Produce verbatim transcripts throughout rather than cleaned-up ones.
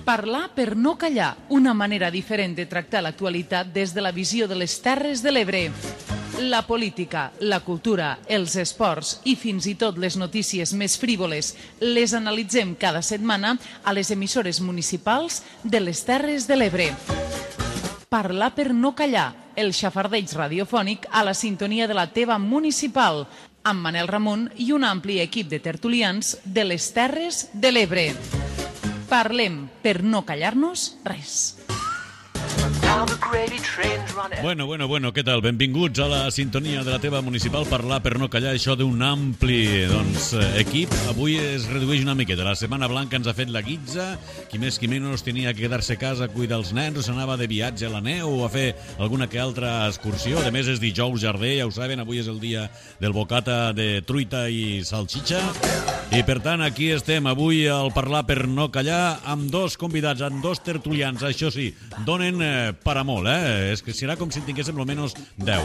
Parlar per no callar, una manera diferent de tractar l'actualitat des de la visió de les Terres de l'Ebre. La política, la cultura, els esports i fins i tot les notícies més frívoles les analitzem cada setmana a les emissores municipals de les Terres de l'Ebre. Parlar per no callar, el xafardeig radiofònic a la sintonia de la teva municipal, amb Manel Ramon i un ampli equip de tertulians de les Terres de l'Ebre. Parlem per no callar-nos res. Bueno, bueno, bueno, què tal? Benvinguts a la sintonia de la teva municipal. Parlar per no callar, això d'un ampli doncs, equip. Avui es redueix una miqueta. La Setmana Blanca ens ha fet la guitza. Qui més qui menys tenia que quedar-se a casa a cuidar els nens, o s'anava de viatge a la neu o a fer alguna que altra excursió. A més, és dijous jarder, ja ho saben, avui és el dia del bocata de truita i salxitxa. I per tant, aquí estem avui al Parlar per no callar amb dos convidats, amb dos tertulians. Això sí, donen eh, per a molt, eh? És que serà com si en tinguéssim almenys deu.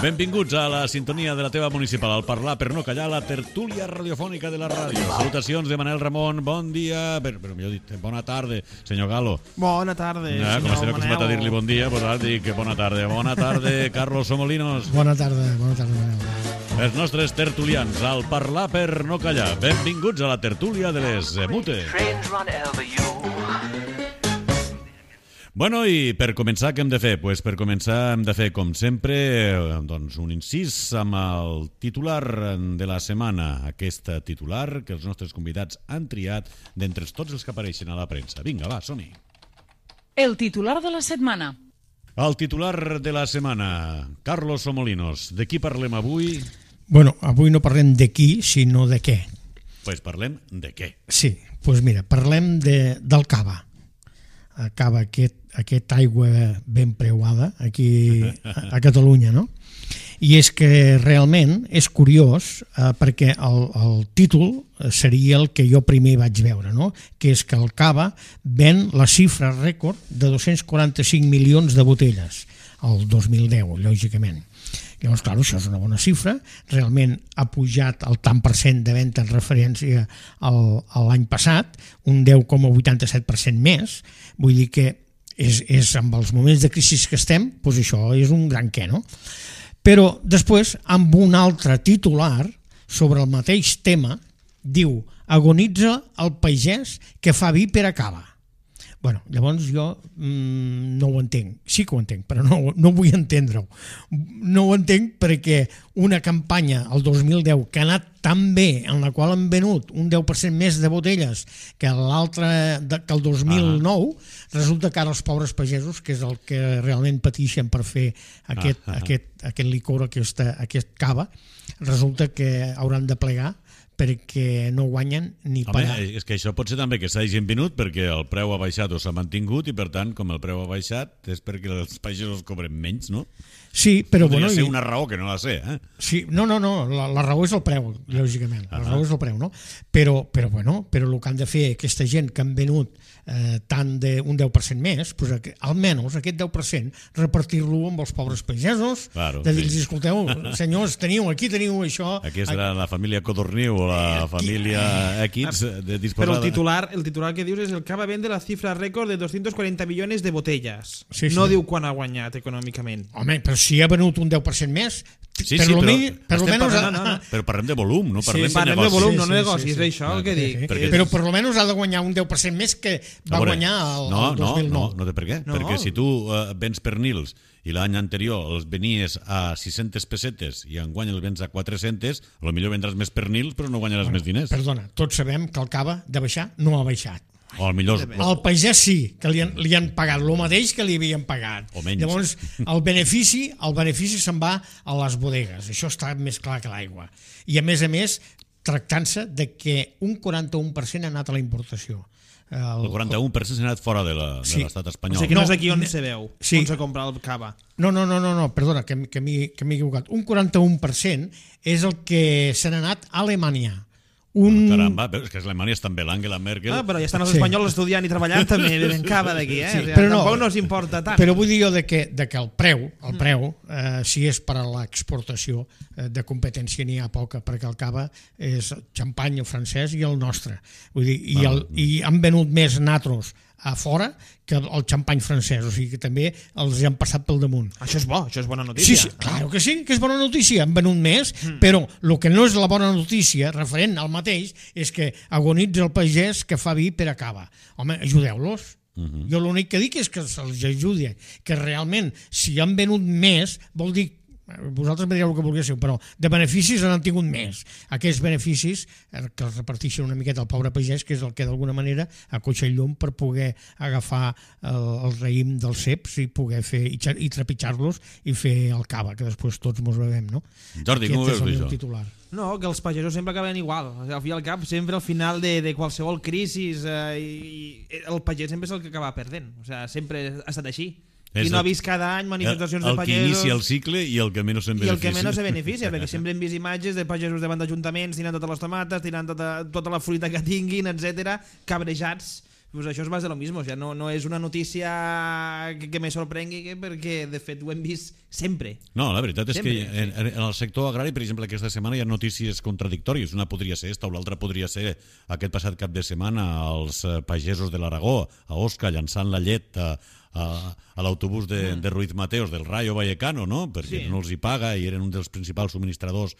Benvinguts a la sintonia de la teva municipal, al Parlar per no callar, la tertúlia radiofònica de la ràdio. Salutacions de Manel Ramon, bon dia, però, però millor dit, bona tarda, senyor Galo. Bona tarda, eh, senyor Com estem acostumat a dir-li bon dia, doncs ara dic bona tarda. Bona tarda, Carlos Somolinos. Bona tarda, bona tarda, Manel. Els nostres tertulians, al Parlar per no callar. Benvinguts a la tertúlia de les Mutes. Bueno, i per començar, què hem de fer? Pues per començar hem de fer, com sempre, doncs un incís amb el titular de la setmana. Aquest titular que els nostres convidats han triat d'entre tots els que apareixen a la premsa. Vinga, va, som-hi. El titular de la setmana. El titular de la setmana. Carlos Somolinos, de qui parlem avui? Bueno, avui no parlem de qui, sinó de què. Pues parlem de què? Sí, doncs mira, parlem de, del cava. El cava, aquest, aquest aigua ben preuada aquí a, a Catalunya, no? I és que realment és curiós eh, perquè el, el títol seria el que jo primer vaig veure, no? Que és que el cava ven la xifra rècord de dos-cents quaranta-cinc milions de botelles el dos mil deu, lògicament. Llavors, clar, això és una bona xifra, realment ha pujat el tant per cent de venda en referència al, a l'any passat, un deu coma vuitanta-set per cent més, vull dir que és, és amb els moments de crisi que estem, doncs això és un gran què, no? Però després, amb un altre titular sobre el mateix tema, diu, agonitza el pagès que fa vi per a cava. Bueno, llavors jo mmm, no ho entenc, sí que ho entenc, però no, no vull entendre-ho. No ho entenc perquè una campanya el dos mil deu que ha anat tan bé, en la qual han venut un deu per cent més de botelles que l'altre, que el dos mil nou, ah. resulta que ara els pobres pagesos, que és el que realment pateixen per fer aquest, ah, ah. aquest, aquest licor, aquesta, aquest cava, resulta que hauran de plegar perquè no guanyen ni per... Home, és que això pot ser també que s'hagin venut perquè el preu ha baixat o s'ha mantingut i per tant, com el preu ha baixat és perquè els pagesos cobren menys, no? Sí, però... Podria bueno, ser i... una raó que no la sé, eh? Sí, no, no, no, la, la raó és el preu, lògicament, la raó és el preu, no? Però, però, bueno, però el que han de fer aquesta gent que han venut eh, tant d'un deu per cent més, doncs, almenys aquest deu per cent repartir-lo amb els pobres pagesos, claro, de dir-los, sí. escolteu, senyors, teniu, aquí teniu això... Aquí serà la família Codorniu o la família X de disposada... Però el titular, el titular que dius és el cava vende la xifra rècord de doscientos cuarenta millones de botellas. Sí, sí. No diu quan ha guanyat econòmicament. Home, però si ha venut un deu per cent més, sí, per sí, lo però, mi, per lo menos... parlant, no, no. Però parlem de volum, no parlem, sí, de parlem negoci. de volum, no sí, negoci, sí, és sí, això sí. el que dic. Sí, perquè... Però per lo menos ha de guanyar un deu per cent més que va veure, guanyar el, no, el dos mil nou. No, no, no té per què. No. Perquè si tu uh, vens pernils i l'any anterior els venies a sis-centes pessetes i enguany els vens a quatre-centes, potser vendràs més pernils però no guanyaràs bueno, més diners. Perdona, tots sabem que el cava de baixar no ha baixat. O al millor... El pagès sí, que li han, li han pagat el mateix que li havien pagat. O menys. Llavors, el benefici, el benefici se'n va a les bodegues. Això està més clar que l'aigua. I a més a més, tractant-se de que un quaranta-un per cent ha anat a la importació. El, el quaranta-un per cent s'ha anat fora de l'estat sí. espanyol. O sigui que no, no és aquí on se veu, sí. on se compra el cava. No, no, no, no, no perdona, que, que m'he equivocat. Un quaranta-un per cent és el que se n'ha anat a Alemanya. Un... Caramba, però és que Alemanya està amb Angela Merkel. Ah, però ja estan els Sí. espanyols estudiant i treballant també ben cava d'aquí, eh? Sí, O sigui, però no. tampoc no us importa tant. Però vull dir jo de que, de que el preu, el preu eh, si és per a l'exportació eh, de competència n'hi ha poca, perquè el cava és xampany francès i el nostre. Vull dir, i, el, i han venut més natros a fora que el xampany francès, o sigui que també els han passat pel damunt. Això és bo, això és bona Sí, notícia. sí, claro que sí, que és bona notícia, han venut més, mm. però el que no és la bona notícia, referent al mateix, és que agonitza el pagès que fa vi per a cava. Home, ajudeu-los. Uh-huh. Jo l'únic que dic és que se'ls ajudi, que realment, si han venut més, vol dir vosaltres me direu el que vulguéssiu, però de beneficis n'han tingut més. Aquests beneficis que els reparteixen una miqueta al pobre pagès, que és el que d'alguna manera acotxa el llum per poder agafar el, el raïm dels ceps i poder fer i, i trepitjar-los i fer el cava, que després tots mos bevem, no? Jordi, com ho veus, això? Titular. No, que els pagesos sempre acaben igual. O sigui, al fi i al cap, sempre al final de, de qualsevol crisi eh, i el pagès sempre és el que acaba perdent. O sigui, sempre ha estat així. És I no ha el- vist cada any manifestacions El, el de que pagesos inicia el cicle i el que menys se'n i el que beneficia. menys se beneficia, perquè sempre hem vist imatges de pagesos davant d'ajuntaments tirant totes les tomates, tirant tota, tota la fruita que tinguin, etcètera, cabrejats. Pues això és més de lo mismo, o sea, no, no és una notícia que, que me sorprengui perquè de fet ho hem vist sempre. No, la veritat és Sempre, que en, en el sector agrari, per exemple, aquesta setmana hi ha notícies contradictòries. Una podria ser esta o l'altra podria ser aquest passat cap de setmana els eh, pagesos de l'Aragó, a Osca, llançant la llet a, a, a l'autobús de, de Ruiz Mateos del Rayo Vallecano, no? Perquè Sí. no els hi paga i eren un dels principals subministradors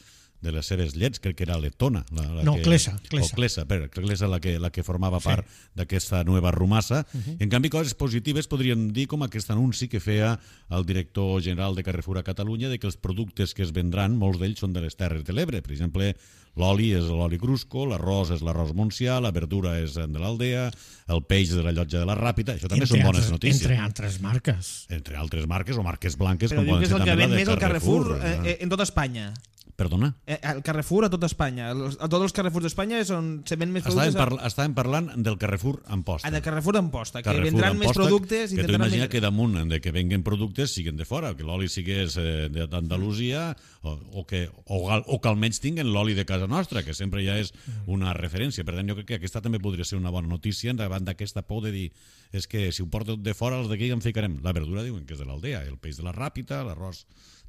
de les seves llets, crec que era Letona. La, la No, que, Clesa, Clesa. O Clesa, per, Clesa la que, la que formava Sí. part d'aquesta nova rumassa. Uh-huh. En canvi, coses positives podríem dir com aquest anunci que feia el director general de Carrefour a Catalunya de que els productes que es vendran, molts d'ells són de les Terres de l'Ebre. Per exemple, l'oli és l'oli Crusco, l'arròs és l'arròs Montsià, la verdura és de l'Aldea, el peix de la Llotja de la Ràpita. Això també Entre són bones altres- notícies. Entre altres marques. Entre altres marques o marques blanques, Però com diu poden que és ser el que també la ven de més el Carrefour eh? eh, en tota Espanya. Perdona? Eh, El Carrefour a tota Espanya. Els- A tots els Carrefours d'Espanya és on se ven més Estàvem, productes. parla estàvem parlant del Carrefour Amposta. Ah, de Carrefour d'Amposta, que Carrefour vendran més Amposta, productes i que tu intentaran imagina vendre- que damunt de que venguen productes siguin de fora, que l'oli sigués eh, d'Andalusia o, o, que, o, gal- o que almenys tinguen l'oli de casa nostra, que sempre ja és una referència. Per tant, jo crec que aquesta també podria ser una bona notícia davant d'aquesta por de dir és que si ho porto de fora, els d'aquí en ficarem. La verdura diuen que és de l'Aldea, el peix de la Ràpita, l'arròs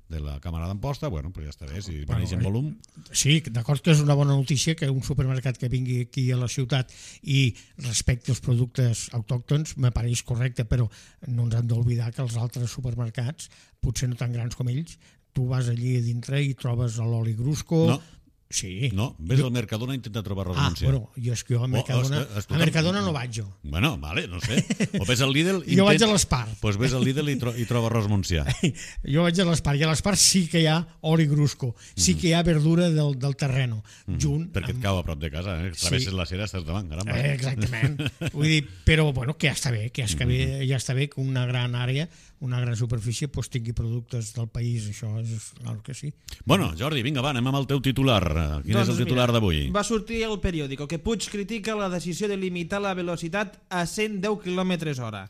de la Càmera d'Amposta, bueno, però ja està bé, si Bueno, veneix en volum. Sí, d'acord que és una bona notícia que un supermercat que vingui aquí a la ciutat i respecti els productes autòctons me pareix correcte, però no ens hem d'oblidar que els altres supermercats, potser no tan grans com ells, tu vas allí a dintre i trobes l'oli Grusco. No. Sí. No, ves al Mercadona a intentar trobar arròs Ah, Montsià. bueno, jo és que jo a Mercadona, es- escolta, a Mercadona no vaig jo. Bueno, vale, no sé. O ves al Lidl... Jo vaig intent- a l'Espar. Pues ves al Lidl i, tro i troba arròs Montsià. Jo vaig a l'Espar, i a l'Espar sí que hi ha oli Grusco, sí que hi ha verdura del, del terreno, junt Perquè et amb... cau a prop de casa, eh? Travesses Sí. la cera, estàs davant, caramba. Eh, exactament. Vull dir, però bueno, que ja està bé, que ja està bé, ja està bé que una gran àrea, una gran superfície, pues, tingui productes del país, això és clar que sí. Bueno, Jordi, vinga, va, anem amb el teu titular. Quin Doncs és el titular mira, d'avui? Va sortir el periòdico que Puig critica la decisió de limitar la velocitat a cent deu quilòmetres hora.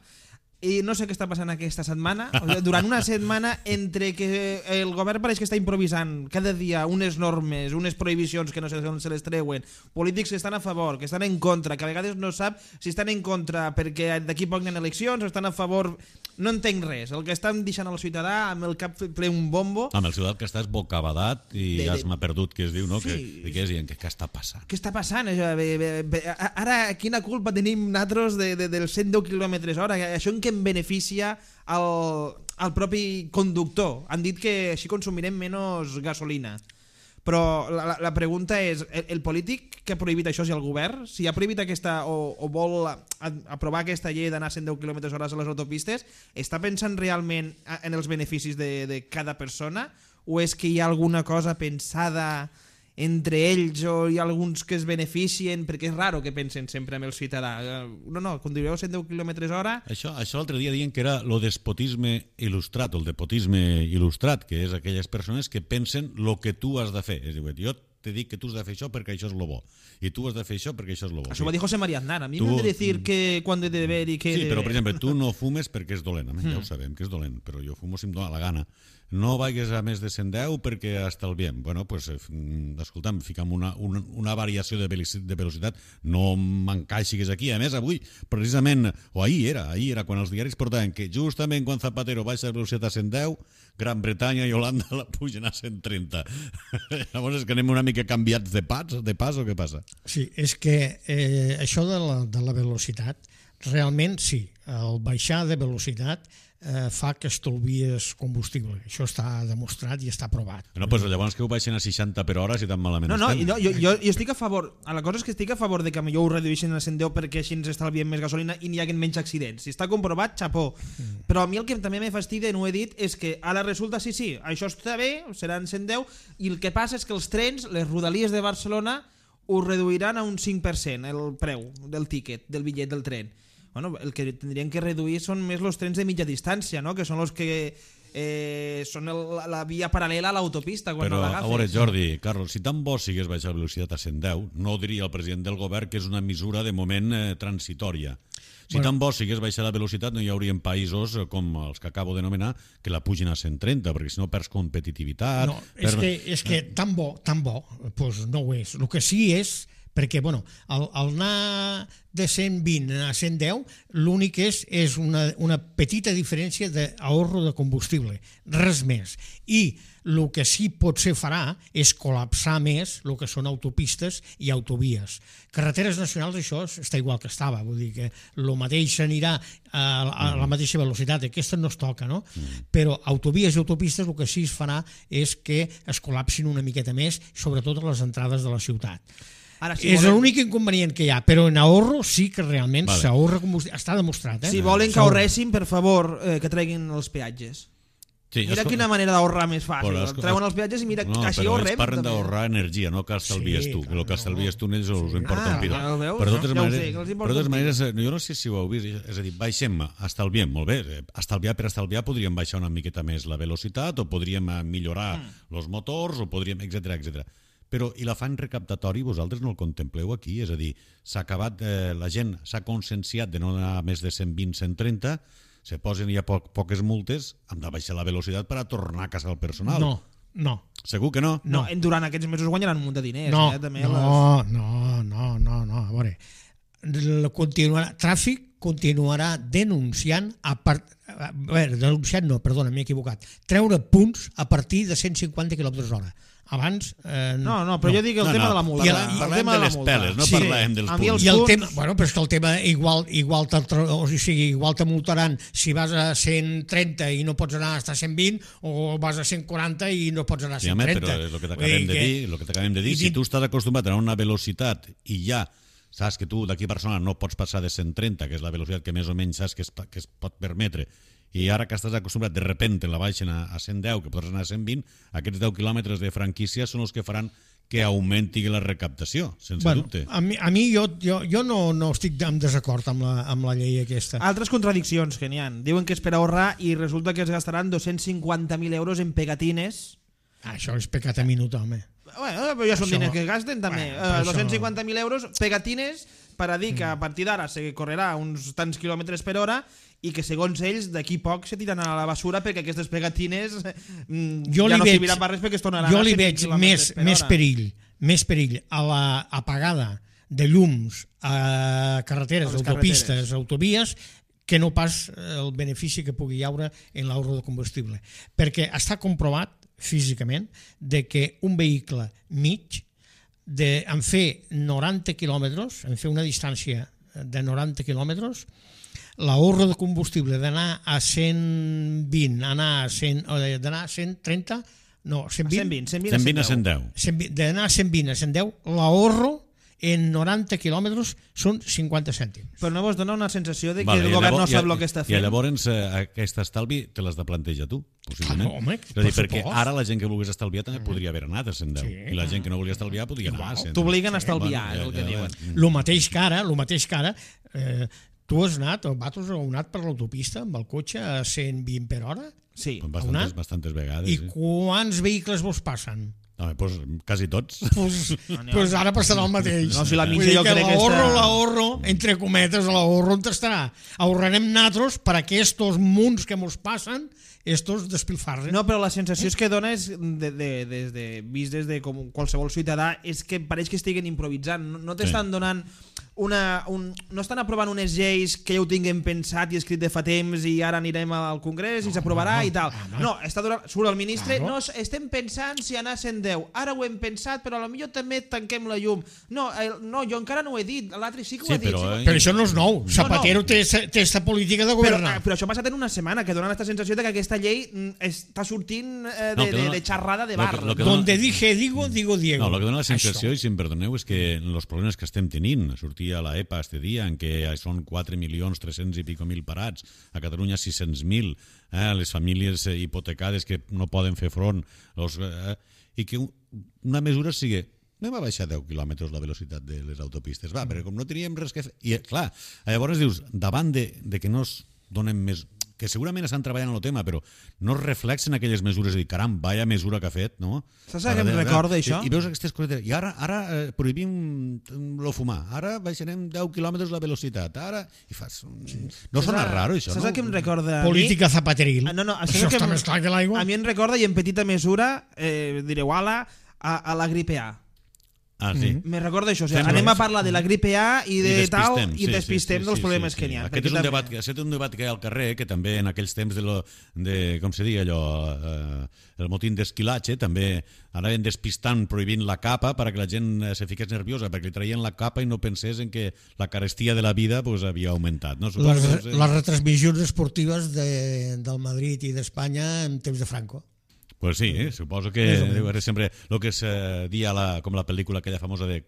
I no sé què està passant aquesta setmana. O sigui, durant una setmana, entre que el govern pareix que està improvisant cada dia unes normes, unes prohibicions que no sé on se les treuen, polítics que estan a favor, que estan en contra, que a vegades no sap si estan en contra perquè d'aquí poc hi ha eleccions o estan a favor... No entenc res. El que estan deixant al ciutadà amb el cap ple un bombo... Amb el ciutat que estàs bocabadat i De- de- asma perdut, que es diu, no? Sí. Que, que és dient, què, què està passant? Què està passant? Això? Bé, bé, bé, ara, quina culpa tenim nosaltres de, de, dels cent deu quilòmetres hora? Això en què em beneficia al, al propi conductor? Han dit que així consumirem menys gasolina. Però la, la, la pregunta és, el, el polític que ha prohibit això, si el govern, si ha prohibit aquesta o, o vol a, a, aprovar aquesta llei d'anar a cent deu quilòmetres hora a les autopistes, està pensant realment en els beneficis de, de cada persona o és que hi ha alguna cosa pensada entre ells o hi ha alguns que es beneficien, perquè és raro que pensen sempre en el ciutadà. No, no, conduireu cent deu quilòmetres hora... Això, això l'altre dia diuen que era lo despotisme il·lustrat, o el despotisme il·lustrat, que és aquelles persones que pensen lo que tu has de fer. És a dir, jo te dic que tu has de fer això perquè això és lo bo. I tu has de fer això perquè això és lo bo. Això ho va dir José María Aznar. A mi Tu- m'han de dir que quan he de beber i què he Sí, de però per beber. exemple, tu no fumes perquè és dolent, mm. ja ho sabem que és dolent, però jo fumo si em dóna la gana. No vagis a més de cent deu perquè estalviem. Bueno, pues, eh, escolta'm, fica'm una, una, una variació de velocitat, de velocitat, no m'encaixis aquí. A més, avui, precisament, o ahir era, ahir era quan els diaris portaven que justament quan Zapatero baixa la velocitat a cent deu, Gran Bretanya i Holanda la pugen a cent trenta. Llavors és que anem una mica canviats de pas, de pas o què passa? Sí, és que eh, això de la, de la velocitat, realment sí, el baixar de velocitat eh, fa que estalvies combustible. Això està demostrat i està provat. No, pues llavors que ho baixen a seixanta per hora si tan malament No, no, estem. no jo, jo, jo estic a favor. La cosa és que estic a favor de que millor ho redueixin a cent deu perquè així ens estalviem més gasolina i n'hi haguen menys accidents. Si està comprovat, xapó. Mm. Però a mi el que també me fastidia, no ho he dit, és que ara resulta, sí, sí, això està bé, seran cent deu, i el que passa és que els trens, les rodalies de Barcelona, ho reduiran a un cinc per cent el preu del tíquet, del bitllet del tren. Bueno, el que tindrien que reduir són més els trens de mitja distància, no? Que són els que eh, són el, la via paral·lela a l'autopista quan Però, no a l'agafes. veure, Jordi, Carlos, si tan bo sigués baixar la velocitat a cent deu, no diria el president del govern que és una mesura de moment eh, transitòria. Si Bueno. tan bo sigués baixar la velocitat, no hi haurien països eh, com els que acabo de nomenar que la pugin a cent trenta, perquè si no perds competitivitat... No, és perds- que, és que tan bo, tan bo, doncs no ho és. El que sí és, perquè bueno, el, el anar de cent vint a cent deu, l'únic és, és una, una petita diferència d'ahorro de combustible, res més. I el que sí potser farà és col·lapsar més el que són autopistes i autovies. Carreteres nacionals això està igual que estava, vull dir que el mateix anirà a, a la mateixa velocitat, aquesta no es toca, no? Però autovies i autopistes el que sí es farà és que es col·lapsin una miqueta més, sobretot a les entrades de la ciutat. Ara, si És volen, l'únic inconvenient que hi ha, però en ahorro sí que realment Vale. s'ahorra combustible. Està demostrat, eh? si volen que ahorressin, per favor, eh, que treguin els peatges. Sí, Mira esco- quina manera d'ahorrar més fàcil. Però esco- Treuen els peatges i mira, no, així però ahorrem. ells parlen també. d'ahorrar energia, no que estalvies Sí, tu. clar, El que estalvies tu, ells us Sí. importa Ah, un piro. ja ho veus, Però de totes ja ho sé, maneres, que els importa però de totes un piro. maneres, eh, jo no sé si ho heu vist, és a dir, baixem, estalviem, molt bé, eh, estalviar per estalviar podríem baixar una miqueta més la velocitat o podríem eh, millorar Mm. els motors o podríem, etcètera, etcètera. Però i l'afany recaptatori vosaltres no el contempleu aquí? És a dir, s'ha acabat, eh, la gent s'ha conscienciat de no anar a més de cent vint a cent trenta, se posen ja poc, poques multes, hem de baixar la velocitat per a tornar a casar el personal. No, no. Segur que no? No, en- durant aquests mesos guanyaran un munt de diners. No, eh, també no, les... no, no, no, no, a veure, el continuarà, tràfic continuarà denunciant a part, a veure, denunciant no, perdona, m'he equivocat, treure punts a partir de cent cinquanta quilòmetres hora. Abans... Eh, No, no, però jo dic el No, tema no, de la multa. i el, el- el parlem tema de de la les multa. peles, no Sí. parlem dels A mi punts. els I el punts- tema, bueno, però és que el tema igual, igual, o sigui, igual te multaran si vas a cent trenta i no pots anar a cent vint o vas a cent quaranta i no pots anar a Sí, cent home, trenta. però és el que t'acabem de dir, el que t'acabem de dir, i si din- tu estàs acostumat a una velocitat i ja saps que tu d'aquí a Barcelona no pots passar de cent trenta, que és la velocitat que més o menys saps que es, que es pot permetre, i ara que estàs acostumat, de repente la baixen a, a cent deu, que pots anar a cent vint, aquests deu quilòmetres de franquícia són els que faran que augmenti la recaptació, sense bueno, dubte. a mi, a mi jo, jo, jo no, no estic en desacord amb la, amb la llei aquesta. Altres contradiccions que n'hi ha. Diuen que és per ahorrar i resulta que es gastaran dos-cents cinquanta mil euros en pegatines. Ah, això és pecat a minut, home. Bueno, però ja són Això- diners que gasten també. Bueno, Bueno, però uh, això- dos-cents cinquanta mil euros, pegatines, per a dir que a partir d'ara se correrà uns tants quilòmetres per hora i que segons ells d'aquí poc se tiraran a la basura perquè aquestes pegatines mm, Jo ja li no veig, serviran per res perquè es tornaran jo a li cent veig quilòmetres més, per més hora. perill, més perill a la apagada de llums a carreteres, A les autopistes, carreteres. autovies, que no pas el benefici que pugui haure en l'ahorro de combustible. Perquè està comprovat físicament de que un vehicle mig de, en fer noranta quilòmetres, en fer una distància de noranta quilòmetres, l'ahorro de combustible d'anar a cent vint, anar a cent, o d'anar a cent trenta, no, cent vint, cent vint, cent vint, cent vint a cent deu. cent vint, d'anar a cent vint a cent deu, l'ahorro en noranta quilòmetres són cinquanta cèntims. Però no vos dona una sensació de que Vale, el i govern llavors- no sap i- el que està I fent. llavors eh, aquest estalvi te l'has de plantejar tu, possiblement. Ah, home, és a dir, per perquè supost. ara la gent que volgués estalviar també podria haver anat a cent deu. Sí, I la gent que no volia estalviar podia anar a cent. T'obliguen a estalviar, Bueno, és el que ja, diuen. ja. El mateix que ara, el mateix que ara, eh, tu has anat, o Batos heu anat per l'autopista amb el cotxe a cent vint per hora? Sí. Bastantes, Una? bastantes vegades. I Sí. quants vehicles vos passen? No, pues, quasi tots. Pues, pues ara passarà el mateix. No, si la Vull mitja dir jo que crec que l'ahorro, està- l'ahorro, entre cometes, l'ahorro on estarà? Ahorrarem natros per a que estos munts que mos passen, estos despilfarren. No, però la sensació és que dona és de, de, des de, vist des de com qualsevol ciutadà és que pareix que estiguen improvisant. No, no t'estan Sí. donant una... Un, no estan aprovant unes lleis que ja ho tinguem pensat i escrit de fa temps i ara anirem al Congrés i s'aprovarà no, i tal. home. No, està donant, surt el ministre, Claro. no, estem pensant si anar a cent deu. Ara ho hem pensat, però potser també tanquem la llum. No, el, no, jo encara no ho he dit, l'altre sí que ho Sí, ha dit. però, sí, eh, Però això no és nou. Zapatero no. té té esta política de Però, governar. eh, però això ha passat en una setmana, que dona aquesta sensació de que aquesta llei mm, està sortint eh, de, No, que de, dona- de xerrada de lo bar. que- lo que no? dona- Donde dije digo, digo Diego. No, el que dona la sensació, Això. i si em perdoneu, és que els problemes que estem tenint, sortia a la EPA este dia, en què són quatre milions tres-cents i pico mil parats, a Catalunya sis-cents mil, eh, les famílies eh, hipotecades que no poden fer front, los, eh, i que un- una mesura sigui anem a baixar deu quilòmetres la velocitat de les autopistes, va, perquè com no teníem res que fer... I, clar, llavors dius, davant de, de que no es donen més... que segurament estan treballant en el tema, però no es reflexen aquelles mesures, de dir, caram, vaya mesura que ha fet, no? Saps què em recorda, això? I, i veus aquestes coses, i ara, ara eh, prohibim lo fumar, ara baixarem deu quilòmetres la velocitat, ara... I fas... No sona raro, això, Saps no? el que em recorda a mi? Política zapateril. Ah, no, no, això saps el que està em- més clar que l'aigua. A mi em recorda, i en petita mesura, eh, direu, ala, a, a la gripe A. Ah, sí. Me recorda això, o sigui, Sí, anem no, a parlar de la gripe A i de tal, i sí, despistem sí, sí, dels sí, problemes sí, que sí. n'hi ha. Aquest és un debat, aquest és un debat que hi ha al carrer, que també en aquells temps de, lo, de com se diu allò, eh, el motín d'esquilatge, també anaven despistant, prohibint la capa perquè la gent eh, se fiqués nerviosa, perquè li traien la capa i no pensés en que la carestia de la vida pues, havia augmentat. No? Les, Suposo que, les retransmissions esportives de, del Madrid i d'Espanya en temps de Franco. Pues sí, eh? Suposo que Més o menys. deu ser sempre el que se dia la, com la pel·lícula aquella famosa de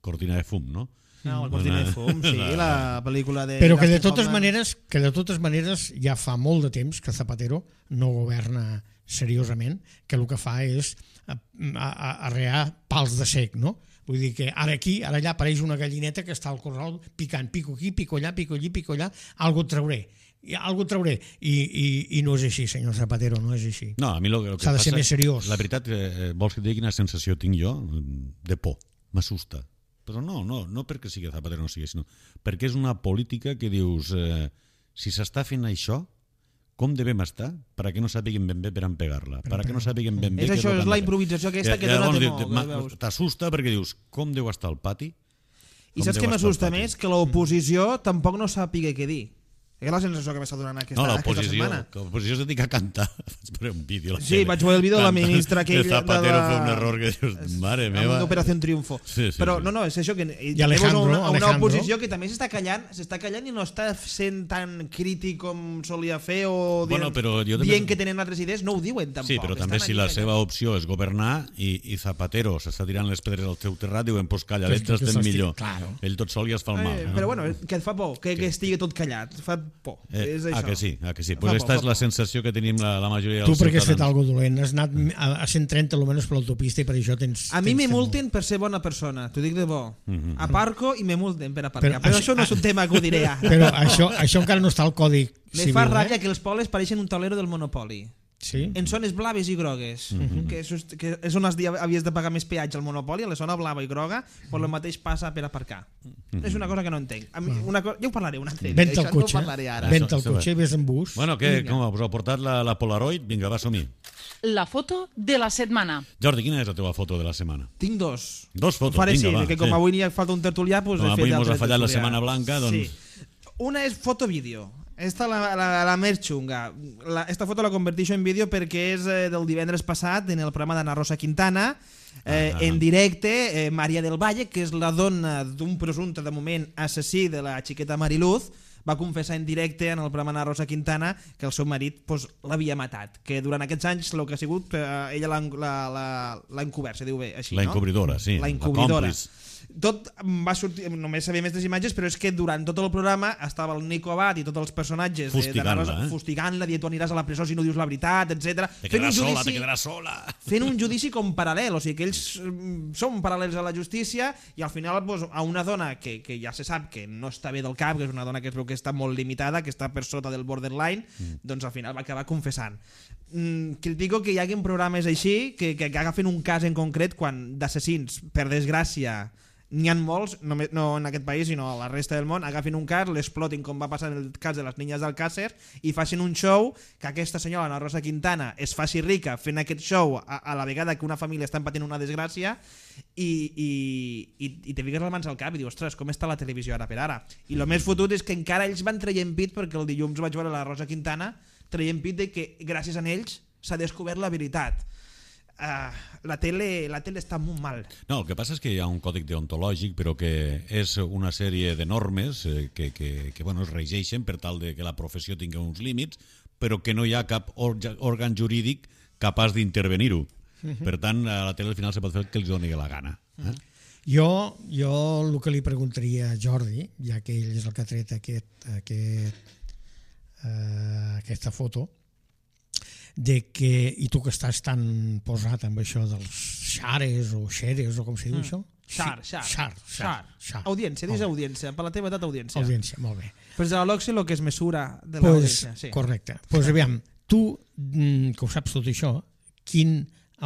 Cortina de fum, no? No, el Cortina de Fum, sí, la pel·lícula de... Però que de Dustin totes Hoffman. maneres, que de totes maneres ja fa molt de temps que Zapatero no governa seriosament, que el que fa és a- a- arrear pals de sec, no? Vull dir que ara aquí, ara allà apareix una gallineta que està al corral picant, pico aquí, pico allà, pico allí, pico allà, algo et trauré. I algo et trauré. I, i, I no és així, senyor Zapatero, no és així. No, a mi lo, lo que S'ha de passa, ser més seriós. La veritat, eh, vols que et digui quina sensació tinc jo? De por, m'assusta. Però no, no, no perquè sigui Zapatero no sigui, sinó perquè és una política que dius, eh, si s'està fent això, com devem estar perquè no sàpiguem ben bé per on pegar-la, perquè no sàpiguem ben bé És què això, el que és han la de fer. improvisació aquesta que I dona llavors temor, dius, ho ma- veus. t'assusta perquè dius, com deu estar al pati? I Com saps deu què estar m'assusta al pati? més? Que l'oposició tampoc no sàpiga què dir. És la sensació que m'està donant aquesta, No, aquesta l'oposició, setmana. que l'oposició es dedica a cantar. Vaig veure un vídeo. a la Sí, tele. vaig veure el vídeo de la Canta. ministra aquella El Zapatero de la- fa un error que dius, mare Amb meva. una operació Triunfo. Sí, sí, Però sí. no, no, és això que I Alejandro, a una, a una Alejandro. oposició que també s'està callant, s'està callant i no està sent tan crític com solia fer o Bueno, dient, però jo també- dient que tenen altres idees, no ho diuen tampoc. Sí, però també Estan si allí la callant. seva opció és governar i, i Zapatero s'està tirant les pedres al teu terrat, diuen, pues calla, Que- ells que estem s'estic- millor. claro. Ell tot sol ja es fa el mal. Eh, no? però bueno, que et fa por, que, que estigui tot callat, fa por. Eh, és ah, això. que sí, ah, que sí. Fa Pues por, esta fa és la por. sensació que tenim la, la majoria Tu dels perquè has fet ciutadans. algo dolent, has anat a a cent trenta almenys per l'autopista i per això tens... A mi tens me fet multen per ser bona persona, t'ho dic de bo. Mhm. Aparco i me multen per aparcar. Però Però, això- això no és un tema que ho diré ara. molt. Però això, això encara no està al Codi Me Civil, fa ràbia eh? que els pobles pareixen un taulero del Monopoli. Sí? En zones blaves i grogues, que, és, que és on has di- havies de pagar més peatge al Monopoli, a la zona blava i groga, però el mateix passa per aparcar. És una cosa que no entenc. A mi, una co... Ja ho parlaré un altre dia, Vent això el cotxe, no ho parlaré ara. vent Això- el això cotxe i vés en bus. Bueno, què, Vinga. com us heu portat la, la Polaroid? Vinga, va, som-hi. La foto de la setmana. Jordi, quina és la teva foto de la setmana? Tinc dos. Dos fotos, Faré vinga, sí, va. que com sí. avui n'hi ha falta un tertulià, doncs Com he fet avui mos altre ha fallat la tertulià. Setmana Blanca, doncs- Sí. Una és foto-vídeo. Esta la, la, la més xunga. La, esta foto la converteixo en vídeo perquè és eh, del divendres passat en el programa d'Anna Rosa Quintana, eh, Ah, ah. en directe, eh, Maria del Valle, que és la dona d'un presumpte de moment assassí de la xiqueta Mariluz, va confessar en directe en el programa d'Anna Rosa Quintana que el seu marit pues, l'havia matat, que durant aquests anys el que ha sigut, eh, ella l'ha la, la, la encobert, se diu bé així, La no? encobridora, sí. La encobridora. còmplice. tot va sortir, només sabia més les imatges, però és que durant tot el programa estava el Nico Abad i tots els personatges fustigant-la, eh? fustigant-la, dient tu aniràs a la presó si no dius la veritat, etcètera. Te quedaràs sola, te quedaràs sola. Fent un judici com paral·lel, o sigui que ells són paral·lels a la justícia i al final pues, a una dona que, que ja se sap que no està bé del cap, que és una dona que es veu que està molt limitada, que està per sota del borderline, mm. doncs al final va acabar confessant. Mm, critico que hi hagi programes així que, que agafen un cas en concret quan d'assassins, per desgràcia, n'hi ha molts, no, no en aquest país sinó a la resta del món, agafin un cas, l'explotin com va passar en el cas de les niñas d'Alcácer i facin un show que aquesta senyora, Ana Rosa Quintana, es faci rica fent aquest show a, a la vegada que una família està patint una desgràcia i, i, i, i te fiques les mans al cap i dius, ostres, com està la televisió ara per ara? I el més fotut és que encara ells van traient pit, perquè el dilluns vaig veure la Rosa Quintana traient pit de que gràcies a ells s'ha descobert la veritat. Uh, la tele la tele està molt mal. No, el que passa és que hi ha un còdic deontològic, però que és una sèrie de normes eh, que, que, que bueno, es regeixen per tal de que la professió tingui uns límits, però que no hi ha cap òrgan jurídic capaç d'intervenir-ho. Uh-huh. Per tant, a la tele al final se pot fer el que els doni la gana. Eh? Uh-huh. Jo, jo el que li preguntaria a Jordi, ja que ell és el que ha tret aquest, aquest, uh, aquesta foto, de que, i tu que estàs tan posat amb això dels xares o xeres o com se diu mm. això? Xar, xar, xar, xar, xar. Audiència, dis audiència, per la teva edat audiència. Audiència, molt bé. Pues de l'Oxy el que es mesura de pues, l'audiència. Sí. Correcte. Doncs pues, aviam, tu que ho saps tot això, quin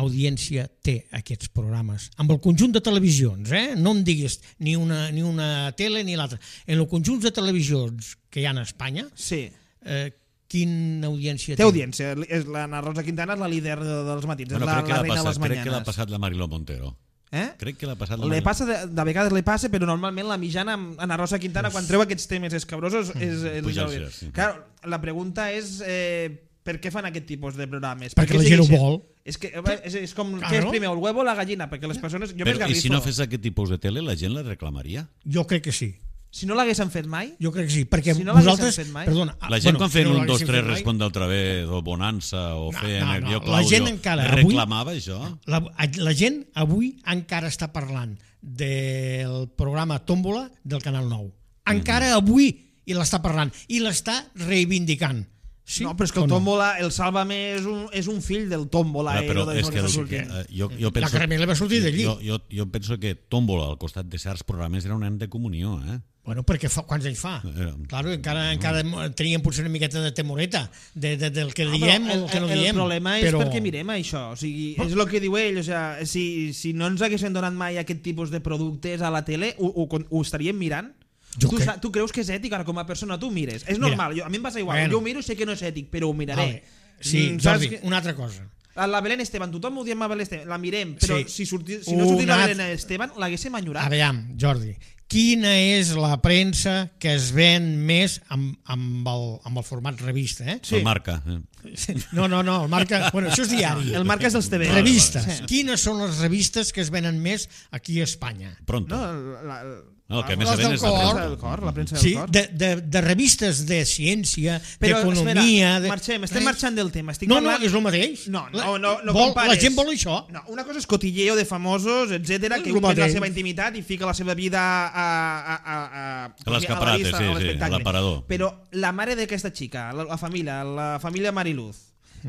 audiència té aquests programes? Amb el conjunt de televisions, eh? No em diguis ni una, ni una tele ni l'altra. En el conjunt de televisions que hi ha a Espanya, sí. eh, quina audiència té? Té audiència. La Rosa Quintana és la líder dels matins, bueno, és la, la reina de les crec mañanes. que l'ha passat la Mariló Montero. Eh? Crec que l'ha passat la le Mariló. passa de, de vegades li passa, però normalment la mitjana amb Ana Rosa Quintana, quan treu aquests temes escabrosos, és... Pujar-se, sí. Clar, la pregunta és... Eh, per què fan aquest tipus de programes? Perquè la gent ho vol. És, que, és, és com, claro. Què és primer, el huevo o la gallina? Perquè les persones... Jo però, i si no fes aquest tipus de tele, la gent la reclamaria? Jo crec que sí. Si no l'haguessin fet mai? Jo crec que sí, perquè si no vosaltres... Mai, perdona, la gent bueno, quan feien si no un, dos, tres, respon d'altra vegada, o Bonança, o no, feien no, el no. Jo, Claudio, la gent encara reclamava avui, això? La, la gent avui encara està parlant del programa Tómbola del Canal nou. Encara mm-hmm. avui i l'està parlant, i l'està reivindicant. Sí, no, però és que el Tómbola, el Sálvame és un, és un fill del Tómbola. Però, però eh, és que, el, que uh, jo, jo penso, la caramela va sortir d'allí. Jo, jo, jo penso que Tómbola al costat de certs programes era un nen de comunió, eh? Bueno, perquè fa, quants anys fa? Eh, claro, encara, encara teníem potser una miqueta de temoreta de, de, del que diem o del que no el, diem. El problema és però... perquè mirem això. O sigui, és el que diu ell. O sigui, si, si no ens haguessin donat mai aquest tipus de productes a la tele, ho, ho, ho estaríem mirant? Tu, crec... tu creus que és ètic? Ara, com a persona, tu mires. És normal, jo, a mi em passa igual. Bueno. Jo ho miro, sé que no és ètic, però ho miraré. Vale. Sí, mm, Jordi, que... una altra cosa. La Belén Esteban, tothom ho diem a Belén Esteban, la mirem, però sí. si, sorti, si no una... sortís la Belén Esteban, l'haguéssim enyorat. Aviam, Jordi, quina és la premsa que es ven més amb, amb, el, amb el format revista? Eh? Sí. El Marca. Eh? No, no, no, el Marca, bueno, això és diari. El Marca és dels T V. Revistes. Sí. Quines són les revistes que es venen més aquí a Espanya? Pronto. No, la, la, No, el que més les ven del és la cor, del cor, la premsa del sí, cor. De, de, de revistes de ciència, però, d'economia... De... marxem, estem res. marxant del tema. Estic no, parlant... no, és el mateix. No, no, no, no vol, compares. la gent vol això. No, una cosa és cotilleo de famosos, etcètera, que un té la seva intimitat i fica la seva vida a, a, a, a, a l'escaparate, sí, sí, a l'aparador. Però la mare d'aquesta xica, la, la família, la família Mariluz,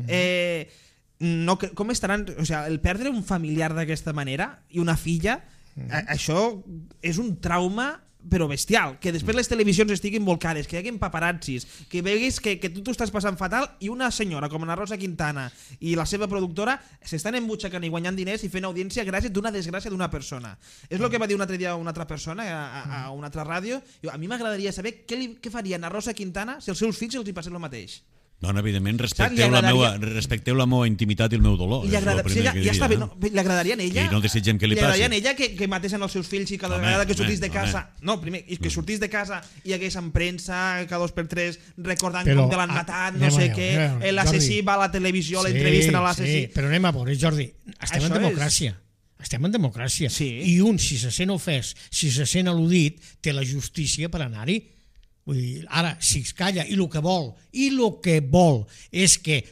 eh, no, com estaran... O sigui, el perdre un familiar d'aquesta manera i una filla, a, això és un trauma però bestial, que després les televisions estiguin volcades, que hi hagi paparazzis, que veguis que, que tu t'ho estàs passant fatal i una senyora com la Rosa Quintana i la seva productora s'estan embutxacant i guanyant diners i fent audiència gràcies d'una desgràcia d'una persona. És el que va dir un altre dia una altra persona a, a, a una altra ràdio. A mi m'agradaria saber què, li, què faria a Rosa Quintana si els seus fills els hi passés el mateix. Doncs, evidentment, respecteu la, meua, respecteu la meua intimitat i el meu dolor. Li, agrada, sí, ja, ja està bé, no, li agradaria a ella, i no desitgem que li, li agradaria passi. a ella que, que matessin els seus fills i cada home, vegada que sortís de casa home. no, primer, que sortís de casa i hagués en premsa cada dos per tres recordant però, com te l'han matat, no sé què, l'assassí va a la televisió, sí, l'entrevisten a l'assassí. Sí, però anem a veure, Jordi, estem Això en democràcia. És... Estem en democràcia. Sí. I un, si se sent ofès, si se sent al·ludit, té la justícia per anar-hi. Vull dir, ara, si es calla i el que vol, i el que vol és que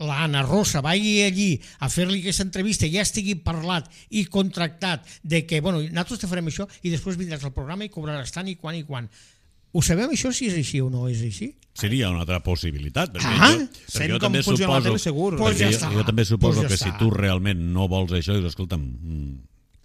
l'Anna Rosa vagi allí a fer-li aquesta entrevista i ja estigui parlat i contractat de que, bueno, nosaltres te farem això i després vindràs al programa i cobraràs tant i quan i quan. Ho sabem això si és així o no és així? Seria una altra possibilitat. Perquè Ah, jo, perquè sent jo com també funciona la suposo, tele, segur. Pues perquè ja jo, està. jo també suposo Pues ja que si està. tu realment no vols això, dius, escolta'm... Mm,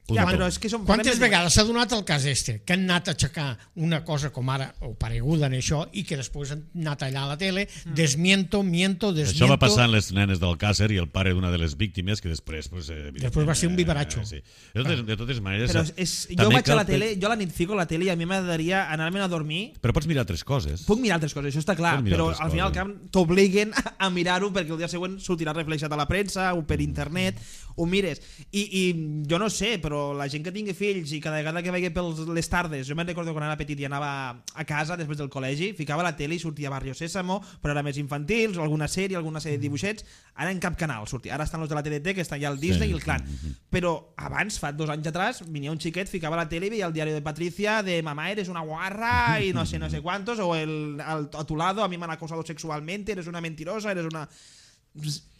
Ja, puta però tu. és que som... Quantes vegades s'ha donat el cas este, que han anat a aixecar una cosa com ara, o pareguda en això, i que després han anat allà a la tele, desmiento, miento, desmiento... Això va passar en les nenes d'Alcàsser i el pare d'una de les víctimes, que després... Pues, eh, Després va ser un vivaratxo. Eh, sí. de, totes, de totes maneres... Però és, jo també vaig a cal la tele, pe- jo a la nit fico a la tele i a mi m'agradaria anar-me'n a dormir. Però pots mirar altres coses. Puc mirar altres coses, això està clar, Pots mirar però altres al final al coses. cap t'obliguen a mirar-ho perquè el dia següent sortirà reflexat a la premsa o per internet, ho mires. I, i jo no sé, però la gent que tingui fills i cada vegada que veia per les tardes, jo me'n recordo quan era petit i anava a casa després del col·legi, ficava la tele i sortia Barrio Sésamo, però era més infantils, o alguna sèrie, alguna sèrie de dibuixets, ara en cap canal sortia. Ara estan els de la T D T, que estan ja el Disney Sí. i el Clan. Però abans, fa dos anys atrás, venia un xiquet, ficava la tele i veia el diari de Patricia de mamá eres una guarra y no sé, no sé cuántos, o el, el a tu lado a mí me han acosado sexualmente, eres una mentirosa, eres una...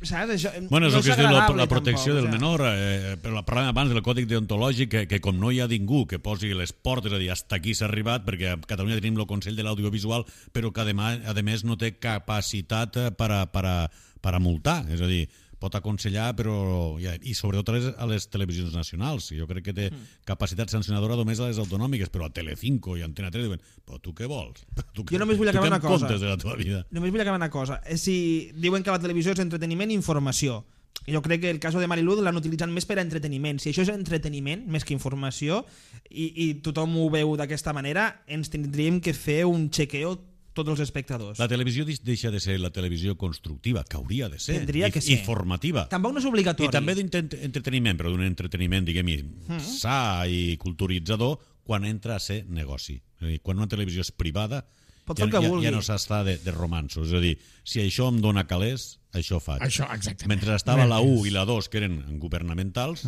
¿Sabes? Això, Bueno, és no el que es diu la, agradable, la protecció tampoc, del o sea. menor, eh, però parlàvem abans del còdic deontològic, que, que com no hi ha ningú que posi les portes, és a dir, hasta aquí s'ha arribat, perquè a Catalunya tenim el Consell de l'Audiovisual, però que además, a més no té capacitat eh, per a, per a, per a multar, és a dir, pot aconsellar, però ja, i sobretot a les, a les televisions nacionals. Jo crec que té capacitat sancionadora només a les autonòmiques, però a Telecinco i a Antena tres diuen, però tu què vols? Tu, Jo només vull tu acabar què una en cosa. comptes de la teva vida? Només vull acabar una cosa. Eh, Si diuen que la televisió és entreteniment i informació, jo crec que el cas de Marilú l'han utilitzat més per a entreteniment. Si això és entreteniment, més que informació, i, i tothom ho veu d'aquesta manera, ens tindríem que fer un chequeo tots els espectadors. La televisió deix- deixa de ser la televisió constructiva, que hauria de ser, Tindria i, que i ser. formativa. Tampoc no és obligatori. I també d'entreteniment, però d'un entreteniment, diguem-hi, sa i culturitzador, quan entra a ser negoci. És a dir, quan una televisió és privada, Pot ja, fer el que ja, vulgui. ja no s'està de, de romansos. És a dir, si això em dona calés, això faig. Això, exactament. Mentre estava la U Res. i la dos, que eren governamentals,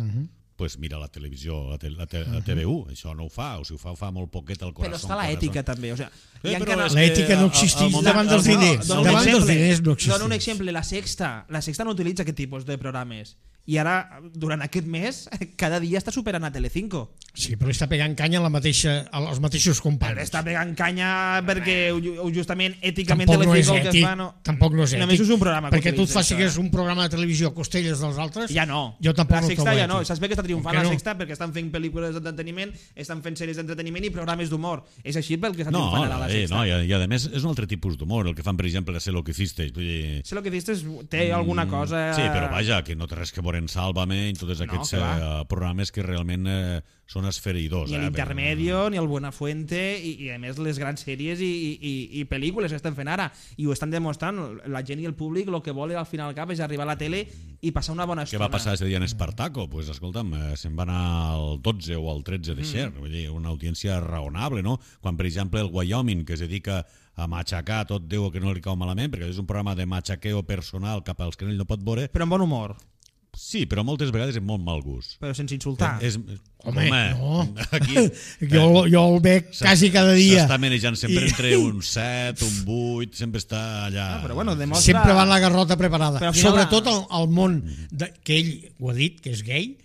pues mira la televisió, la, te, la, te, la T V U, això no ho fa, o si ho fa, ho fa molt poquet al corazón. Però està l'ètica també, o sea, Eh, hi ha però canals- és que L'ètica no al- al existeix moment- davant dels al- diners. Dono un Davant dels exemple. diners no Dono un existeix. exemple, la Sexta. La Sexta no utilitza aquest tipus de programes. I ara, durant aquest mes, cada dia està superant a Telecinco. Sí, però està pegant canya a la mateixa, als mateixos Però companys. està pegant canya perquè ju- justament èticament Tampoc no és Telecinco el que ètic. fa no... Tampoc no és ètic. Només és un programa que Perquè tu et utilitza, facis això, eh? un programa de televisió a costelles dels altres. Ja no. Jo tampoc la no Sexta trobo ja no. ètic. Saps bé que està triomfant Com que la no? Sexta perquè estan fent pel·lícules d'entreteniment, estan fent sèries d'entreteniment i programes d'humor. És així pel que està No, triomfant ara la eh, Sexta. no, i, a- i a més és un altre tipus d'humor, el que fan, per exemple, a Sé lo que hiciste. Vull dir, Sé lo que dices, té alguna cosa... sí, però vaja, que no té res que veure en Sálvame i tots aquests que va. eh, programes que realment eh, són esfereïdors. Ni eh, l'Intermedio, ni el Buenafuente, i, i a més les grans sèries i, i, i pel·lícules que estan fent ara. I ho estan demostrant. La gent i el públic el que vol al final al cap és arribar a la tele i passar una bona Què estona. va passar aquest dia en Espartaco? Pues, escolta'm, eh, se'n va anar al dotze o al tretze de Xer, vull dir, una audiència raonable, no? Quan, per exemple, el Wyoming, que es dedica a matxacar tot Déu que no li cau malament, perquè és un programa de matxaqueo personal cap als que ell no pot veure, Però amb bon humor, sí, però moltes vegades amb molt mal gust. però sense insultar. És, Home, no. Aquí, jo, jo el veig quasi cada dia. S'està manejant sempre I- entre un set, un vuit, sempre està allà... Ah, però bueno, demostra... Sempre va amb la garrota preparada. Però al final Sobretot la- al, al món de, que ell ho ha dit, que és gay,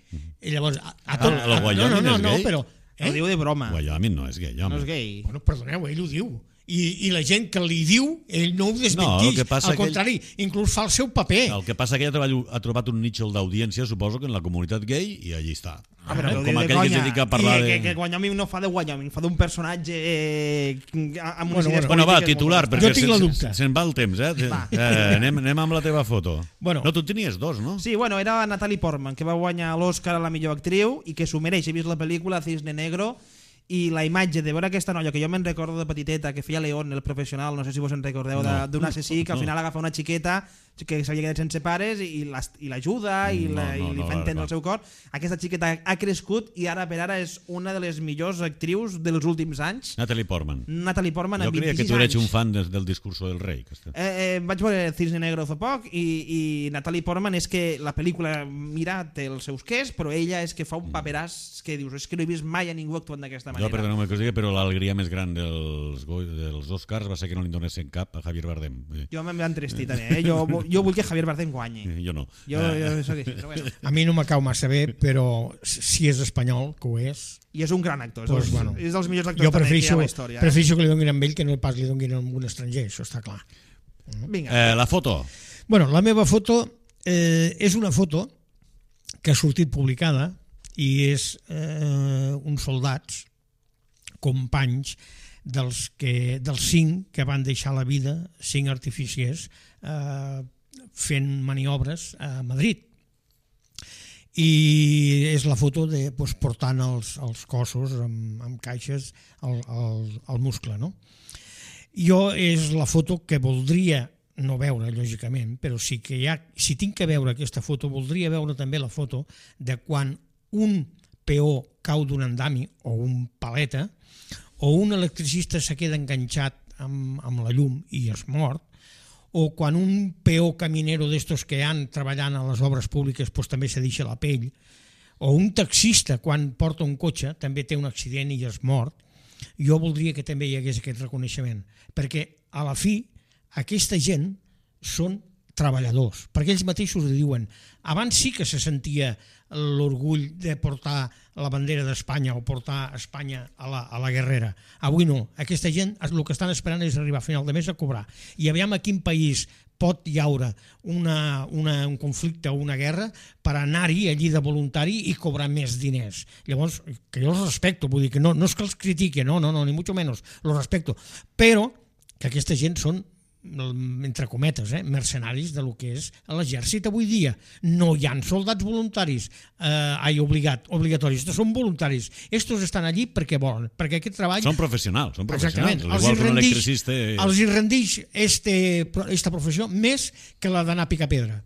i llavors... A, a tot, El- el a, no, Wyoming no, no, és no, gay? però... Ho Eh? diu de broma. Wyoming no és gay, home. No és gay. Bueno, perdoneu, ell ho diu. I, I la gent que li diu, ell no ho No, desmentix. el que passa Al que ell- contrari, inclús fa el seu paper. El que passa que ella ha trobat, ha trobat un nicho d'audiència, suposo que en la comunitat gay, i allí està. Ah, però Eh, ho com diu de aquell que es conya. dedica a parlar I de... que, que Wyoming no fa de Wyoming, fa d'un personatge eh, amb unes Bueno, idees Bueno, va, polítiques titular, molt perquè Jo tinc la se'n- dubte. se'n va el temps, eh? Va. eh anem, anem amb la teva foto. Bueno. No, tu en tenies dos, no? Sí, bueno, era Natalie Portman, que va guanyar l'Oscar a la millor actriu i que s'ho mereix. He vist la pel·lícula Cisne Negro i la imatge de veure aquesta noia, que jo me'n recordo de petiteta, que feia León, el professional, no sé si vos en recordeu, No. d'un assassí que al No. final agafa una xiqueta que s'havia quedat sense pares i l'as- i l'ajuda i, No, la, no, i li no, fa no, entendre no. el seu cor. Aquesta xiqueta ha crescut i ara per ara és una de les millors actrius dels últims anys. Natalie Portman. Natalie Portman Jo amb creia que vint-i-sis tu eres anys. un fan del, del discurso del rei. Que està... Eh, eh, vaig veure Cisne Negro fa poc i, i Natalie Portman és que la pel·lícula, mira, té els seus quers, però ella és que fa un paperàs que dius, és que no he vist mai a ningú actuant d'aquesta Jo, perdoneu-me que us digui, però l'alegria més gran dels, dels Oscars va ser que no li donessin cap a Javier Bardem. Jo me'n va entrestir també, eh? Jo, jo vull que Javier Bardem guanyi. Jo no. Jo, jo soc així, però bueno. A mi no m'acau massa bé, però si és espanyol, que ho és... I és un gran actor, és, Pues, dels, bueno, és dels millors actors jo també que hi prefereixo, ha a la història. Eh? prefereixo que li donin a ell que no pas li donin a un estranger, això està clar. Vinga. Eh, la foto. Bueno, la meva foto eh, és una foto que ha sortit publicada i és eh, uns soldats, companys dels, que, dels cinc que van deixar la vida, cinc artificiers, eh, fent maniobres a Madrid. I és la foto de, doncs, portant els, els cossos amb, amb caixes al, al, al muscle, no? Jo és la foto que voldria no veure, lògicament, però sí que hi ha, si tinc que veure aquesta foto, voldria veure també la foto de quan un peó cau d'un andami o un paleta o un electricista se queda enganxat amb, amb la llum i es mort, o quan un peó caminero d'estos que han treballant a les obres públiques pues, també se deixa la pell, o un taxista quan porta un cotxe també té un accident i es mort. Jo voldria que també hi hagués aquest reconeixement, perquè a la fi aquesta gent són treballadors, perquè ells mateixos ho diuen. Abans sí que se sentia l'orgull de portar la bandera d'Espanya o portar Espanya a la, a la guerrera. Avui no. Aquesta gent el que estan esperant és arribar a final de mes a cobrar. I aviam a quin país pot hi haure una, una, un conflicte o una guerra per anar-hi allí de voluntari i cobrar més diners. Llavors, que jo els respecto, vull dir que no, no és que els critique, no, no, no, ni mucho menos, los respecto, però que aquesta gent són entre cometes, eh, mercenaris de lo que és l'exèrcit avui dia. No hi ha soldats voluntaris, eh, ai, obligat, obligatoris, estos són voluntaris. Estos estan allí perquè volen, perquè aquest treball... Són professionals, són professionals. Exactament. Els igual que un rendix, electricista... els hi rendix este, esta professió més que la d'anar a picar pedra.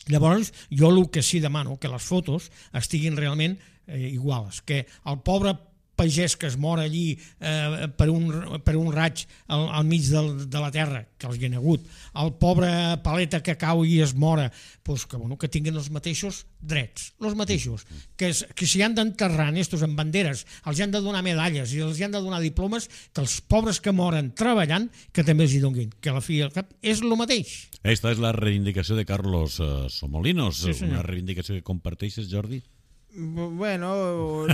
Llavors, jo el que sí demano, que les fotos estiguin realment eh, iguals, que el pobre pagès que es mor allí eh, per, un, per un raig al, al mig del, de la terra, que els hi ha hagut, el pobre paleta que cau i es mora, pues que, bueno, que tinguin els mateixos drets, els mateixos, que, es, que si han d'enterrar estos amb banderes, els han de donar medalles i els han de donar diplomes, que els pobres que moren treballant, que també els hi donguin, que a la fi al cap és el mateix. Esta és la reivindicació de Carlos uh, Somolinos, sí, una reivindicació que comparteixes, Jordi? Bueno,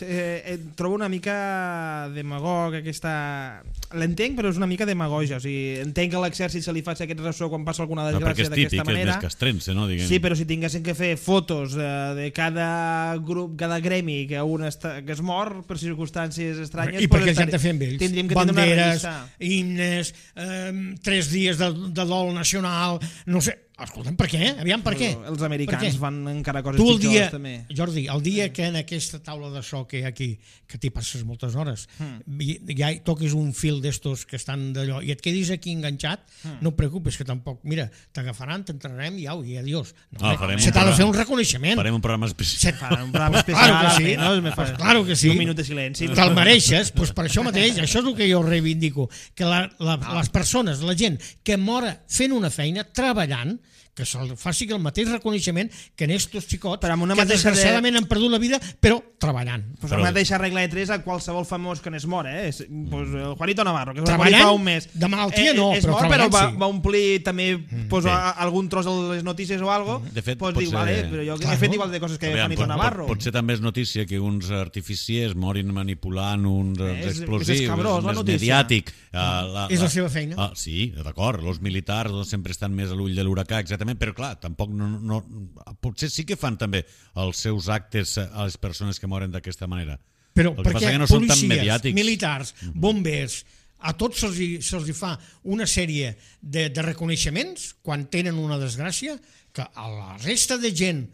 eh, trobo una mica demagog aquesta... L'entenc, però és una mica demagogia. O sigui, entenc que a l'exèrcit se li faci aquest ressò quan passa alguna desgràcia d'aquesta manera. Perquè és típic, és més castrense, no? Diguem. Sí, però si tinguessin que fer fotos eh, de cada grup, cada gremi que un està, que es mor per circumstàncies estranyes... I perquè els han de fer amb ells. Tindríem que banderes, himnes, eh, tres dies de, de dol nacional, no sé... Escolta'm, per què? Aviam, per què? Els americans fan encara coses tu el pitjors, dia, també. Jordi, el dia que en aquesta taula de so que hi ha aquí, que t'hi passes moltes hores, mm. ja toquis un fil d'estos que estan d'allò i et quedis aquí enganxat, mm. no et preocupes, que tampoc, mira, t'agafaran, t'entrarem i au, i adiós. No, ah, se t'ha de fer un reconeixement. Farem un programa especial. Farem un programa especial. Claro que sí. No? Me pues claro que sí. Un minut de silenci. Te'l mereixes, pues per això mateix, això és el que jo reivindico, que la, la, ah. les persones, la gent que mora fent una feina, treballant, que se'l faci el mateix reconeixement que en estos xicots que desgraciadament de... han perdut la vida però treballant. Pues però... la mateixa regla de tres a qualsevol famós que n'és mort, eh? Pues el Juanito Navarro, que es va morir fa un mes. De malaltia no, eh, però mort, treballant però va, sí. va omplir també pues, sí. a, algun tros de les notícies o algo, de fet, pues, dic, ser... vale, però jo claro. he fet igual de coses que Aviam, Juanito pot, Navarro. Pot, pot ser també és notícia que uns artificiers morin manipulant uns és, explosius, és, escabrós, és més mediàtic. Uh, la, és la, la seva feina. Uh, sí, d'acord, els militars doncs, sempre estan més a l'ull de l'huracà, exactament, però clar, tampoc no, no, potser sí que fan també els seus actes a les persones que moren d'aquesta manera. Però el que perquè que no policies, militars, bombers, a tots se'ls hi, se fa una sèrie de, de reconeixements quan tenen una desgràcia, que a la resta de gent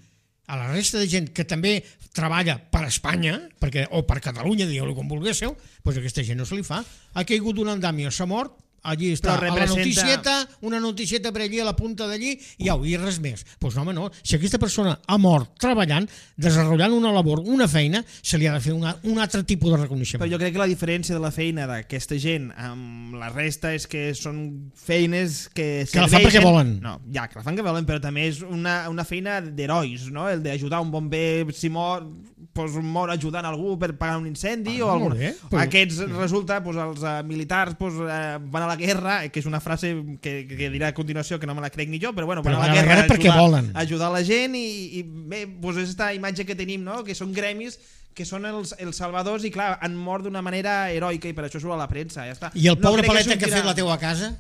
a la resta de gent que també treballa per Espanya, perquè, o per Catalunya, digueu-lo com vulguéssiu, doncs aquesta gent no se li fa. Ha caigut un andami, s'ha mort, allí està, representa... a la noticieta, una noticieta per allí a la punta d'allí, i au, i res més. Doncs pues no, home, no. Si aquesta persona ha mort treballant, desenvolupant una labor, una feina, se li ha de fer una, un altre tipus de reconeixement. Però jo crec que la diferència de la feina d'aquesta gent amb la resta és que són feines que Que la fan perquè volen. No, ja, que la fan que volen, però també és una, una feina d'herois, no? El d'ajudar un bomber, si mor, pues, mor ajudant algú per pagar un incendi, Ah, o algun... molt bé, però- Aquests, resulta, pues, els uh, militars pues, uh, van a la guerra, que és una frase que, que dirà a continuació que no me la crec ni jo, però bueno, Però van a la guerra, guerra perquè ajudar, volen. ajudar la gent i, i bé, pues, és aquesta imatge que tenim, no? Que són gremis que són els, els salvadors i clar, han mort d'una manera heroica i per això surt a la premsa, ja està. I el pobre crec paleta que ha sortirà- fet la teua casa,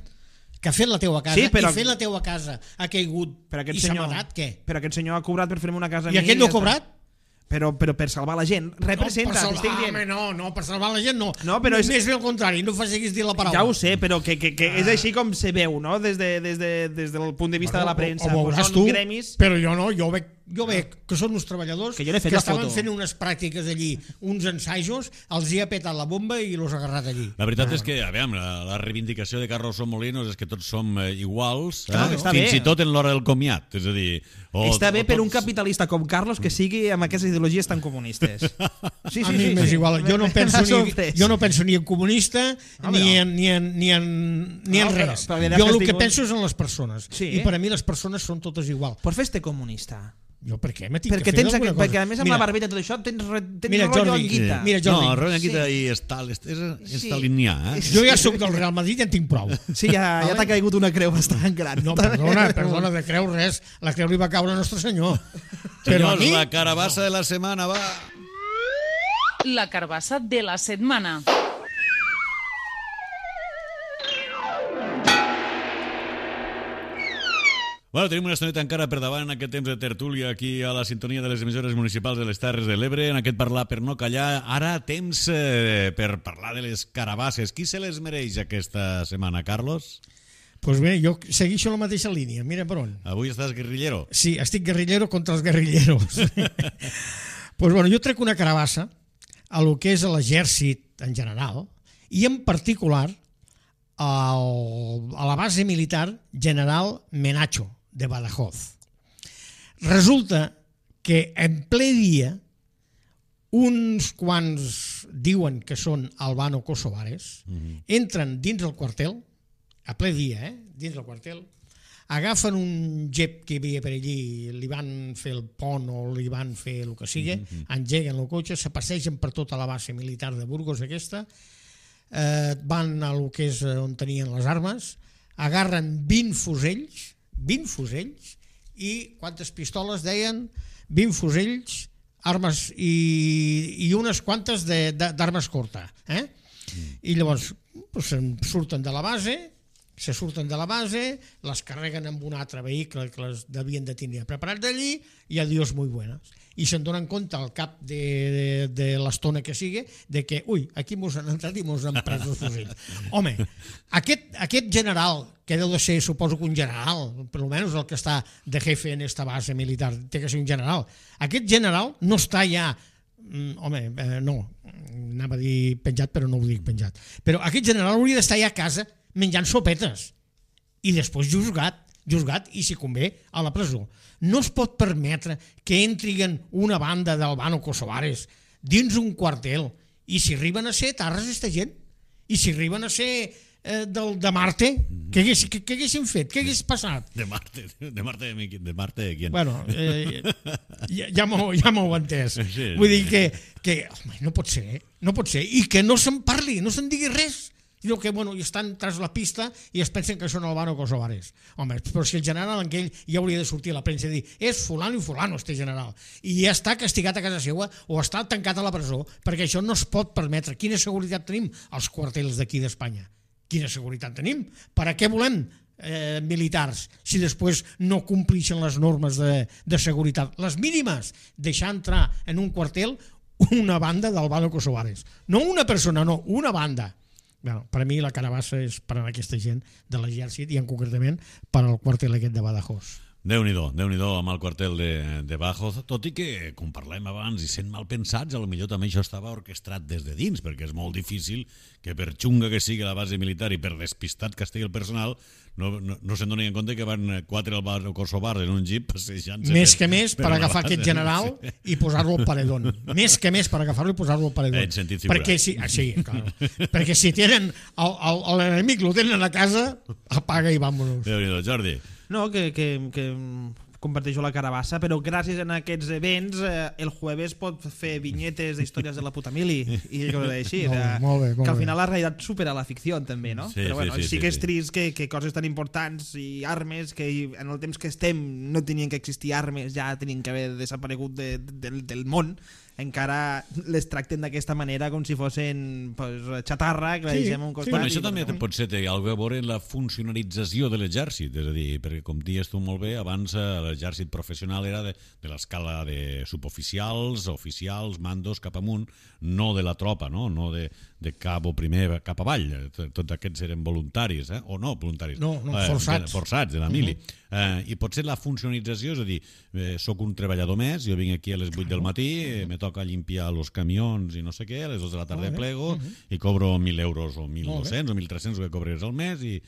que ha fet la teua casa, Sí, però- i fet la teua casa ha caigut Però aquest i s'ha senyor- matat, què? Però aquest senyor ha cobrat per fer-me una casa a I mi aquest no ja ha està. cobrat? Però, però per salvar la gent, representa, no, per salvar, t'estic dient. home, no, no, per salvar la gent no. No, però és- Més bé al contrari, no facis dir la paraula. Ja ho sé, però que, que, que és així com se veu, no? Des, de, des, de, des del punt de vista Bueno, de la premsa. Ho, ho veuràs Són tu, gremis... però jo no, jo veig, jo veig que són uns treballadors Que jo n'he fet que la estaven foto. fent unes pràctiques allí, uns ensajos, els hi ha petat la bomba i los ha agarrat allí. La veritat és que, a veure, la, la reivindicació de Carlos Molinos és que tots som eh, iguals, eh? Clar, està fins bé. i tot en l'hora del comiat, és a dir... O, Està bé o per un tots- capitalista com Carlos que sigui amb aquestes ideologies tan comunistes. Sí, a mi m'és igual, jo no, penso M'ha ni, sorprès. jo no penso ni en comunista Home, ni, no. en, ni, en, ni, en, ni en No, però- res. però li has Jo el que tingut- penso és en les persones. Sí. I per a mi les persones són totes igual. Pues fes-te comunista. Jo per què? Me tinc Perquè, que fer tens, alguna aquest, cosa. perquè a més amb Mira, la barbeta i tot això tens, re- tens Mira, rotllo Jordi, en guita. mira, Jordi. No, Roland Guita Sí. i Estal, és, és, és Sí. stalinià, eh? Jo ja sóc del Real Madrid i en tinc prou. Sí, ja, ja t'ha caigut una creu bastant gran. No, perdona, perdona, de creu res. La creu li va caure a Nostre Senyor. Però a Senyors, mi... la carabassa de la setmana va... La carbassa de la setmana. Bueno, tenim una estoneta encara per davant en aquest temps de tertúlia aquí a la sintonia de les emissores municipals de les Terres de l'Ebre, en aquest parlar per no callar. Ara temps eh, per parlar de les carabasses. Qui se les mereix aquesta setmana, Carlos? Pues bé, jo segueixo la mateixa línia. Mira per on. Avui estàs guerrillero. Sí, estic guerrillero contra els guerrilleros. Pues bueno, jo trec una carabassa a lo que és l'exèrcit en general i en particular al, a la base militar General Menacho de Badajoz. Resulta que en ple dia uns quants diuen que són albano-kosovares, mm-hmm. entren dins el quartel, a ple dia, eh? dins del quartel, agafen un jep que hi havia per allí, li van fer el pont o li van fer el que sigui, mm-hmm. engeguen el cotxe, se passegen per tota la base militar de Burgos aquesta, eh, van a lo que és on tenien les armes, agarren vint fusells, vint fusells, i quantes pistoles deien? vint fusells, armes i, i unes quantes de- de- d'armes curta. Eh? Mm. I llavors pues, se'n surten de la base, se surten de la base, les carreguen amb un altre vehicle que les devien de tenir preparat d'allí i adiós muy buenas. I se'n donen compte al cap de, de, de l'estona que sigui de que, ui, aquí mos han entrat i mos han pres els fusells. Home, aquest, aquest general, que deu de ser, suposo que un general, per almenys el que està de jefe en esta base militar, té que ser un general. Aquest general no està ja, mm, home, eh, no, anava a dir penjat, però no ho dic penjat. Però aquest general hauria d'estar ja a casa menjant sopetes i després juzgat, juzgat i, si convé, a la presó. No es pot permetre que entrin una banda d'albano-kosovares dins un quartel i si arriben a ser tarres esta gent i si arriben a ser eh, del, de Marte, què hagués, què, què haguessin fet? Què hagués passat? De Marte, de Marte de, mi- de Marte de quién? Bueno, eh, ja, ja m'ho ja m'ho he entès. Sí. Vull dir que, que home, no pot ser, no pot ser. I que no se'n parli, no se'n digui res. Sinó que, bueno, i estan tras la pista i es pensen que són albano-kosovares. Home, però si el general en aquell ja hauria de sortir a la premsa i dir és fulano i fulano, este general. I ja està castigat a casa seva o està tancat a la presó, perquè això no es pot permetre. Quina seguretat tenim als quartels d'aquí d'Espanya? Quina seguretat tenim? Per a què volem eh, militars si després no complixen les normes de, de seguretat? Les mínimes, deixar entrar en un quartel una banda d'albano-kosovares. No una persona, no, una banda. Bueno, per a mi la carabassa és per a aquesta gent de l'exèrcit i en concretament per al quartel aquest de Badajoz. Déu-n'hi-do, Déu-n'hi-do amb el quartel de, de Bajo, tot i que, com parlem abans, i sent mal pensats, a lo millor també això estava orquestrat des de dins, perquè és molt difícil que per xunga que sigui la base militar i per despistat que estigui el personal, no, no, no se'n donin en compte que van quatre al bar, Kosovar en un jeep passejant-se. Més per, que més per agafar aquest general sí. i posar-lo al paredón. Més que més per agafar-lo i posar-lo al paredón. En sentit figurat. Perquè si, ah, sí, claro. Perquè si tenen l'enemic, lo tenen a casa, apaga i vámonos. Déu-n'hi-do, Jordi. No, que, que, que comparteixo la carabassa, però gràcies a aquests events eh, el jueves pot fer vinyetes d'històries de la puta mili i coses així. Molt bé, de, molt bé, molt que al bé. final la realitat supera la ficció també, no? Sí, però bueno, sí, sí, sí, sí que sí, és sí. trist que, que coses tan importants i armes que en el temps que estem no tenien que existir armes, ja tenien que haver desaparegut de, de, del, del món, encara les tracten d'aquesta manera com si fossin pues, xatarra que la Sí, deixem a un sí. costat. Bueno, i- això també pot ser té alguna cosa a veure en la funcionalització de l'exèrcit, és a dir, perquè com dius tu molt bé, abans eh, l'exèrcit professional era de, de l'escala de suboficials, oficials, mandos cap amunt, no de la tropa, no, no de, de cabo primer cap avall. T- Tots aquests eren voluntaris, eh? o no voluntaris, No, no, eh, forçats. de- forçats de la mili. Uh -huh. eh, I potser la funcionalització, és a dir, eh, soc un treballador més, jo vinc aquí a les vuit del matí, eh, me toca limpiar els camions i no sé què, a les dos de la tarda Molt bé. plego Uh -huh. i cobro mil euros o mil Molt bé. dos-cents o mil tres-cents que cobres al mes i,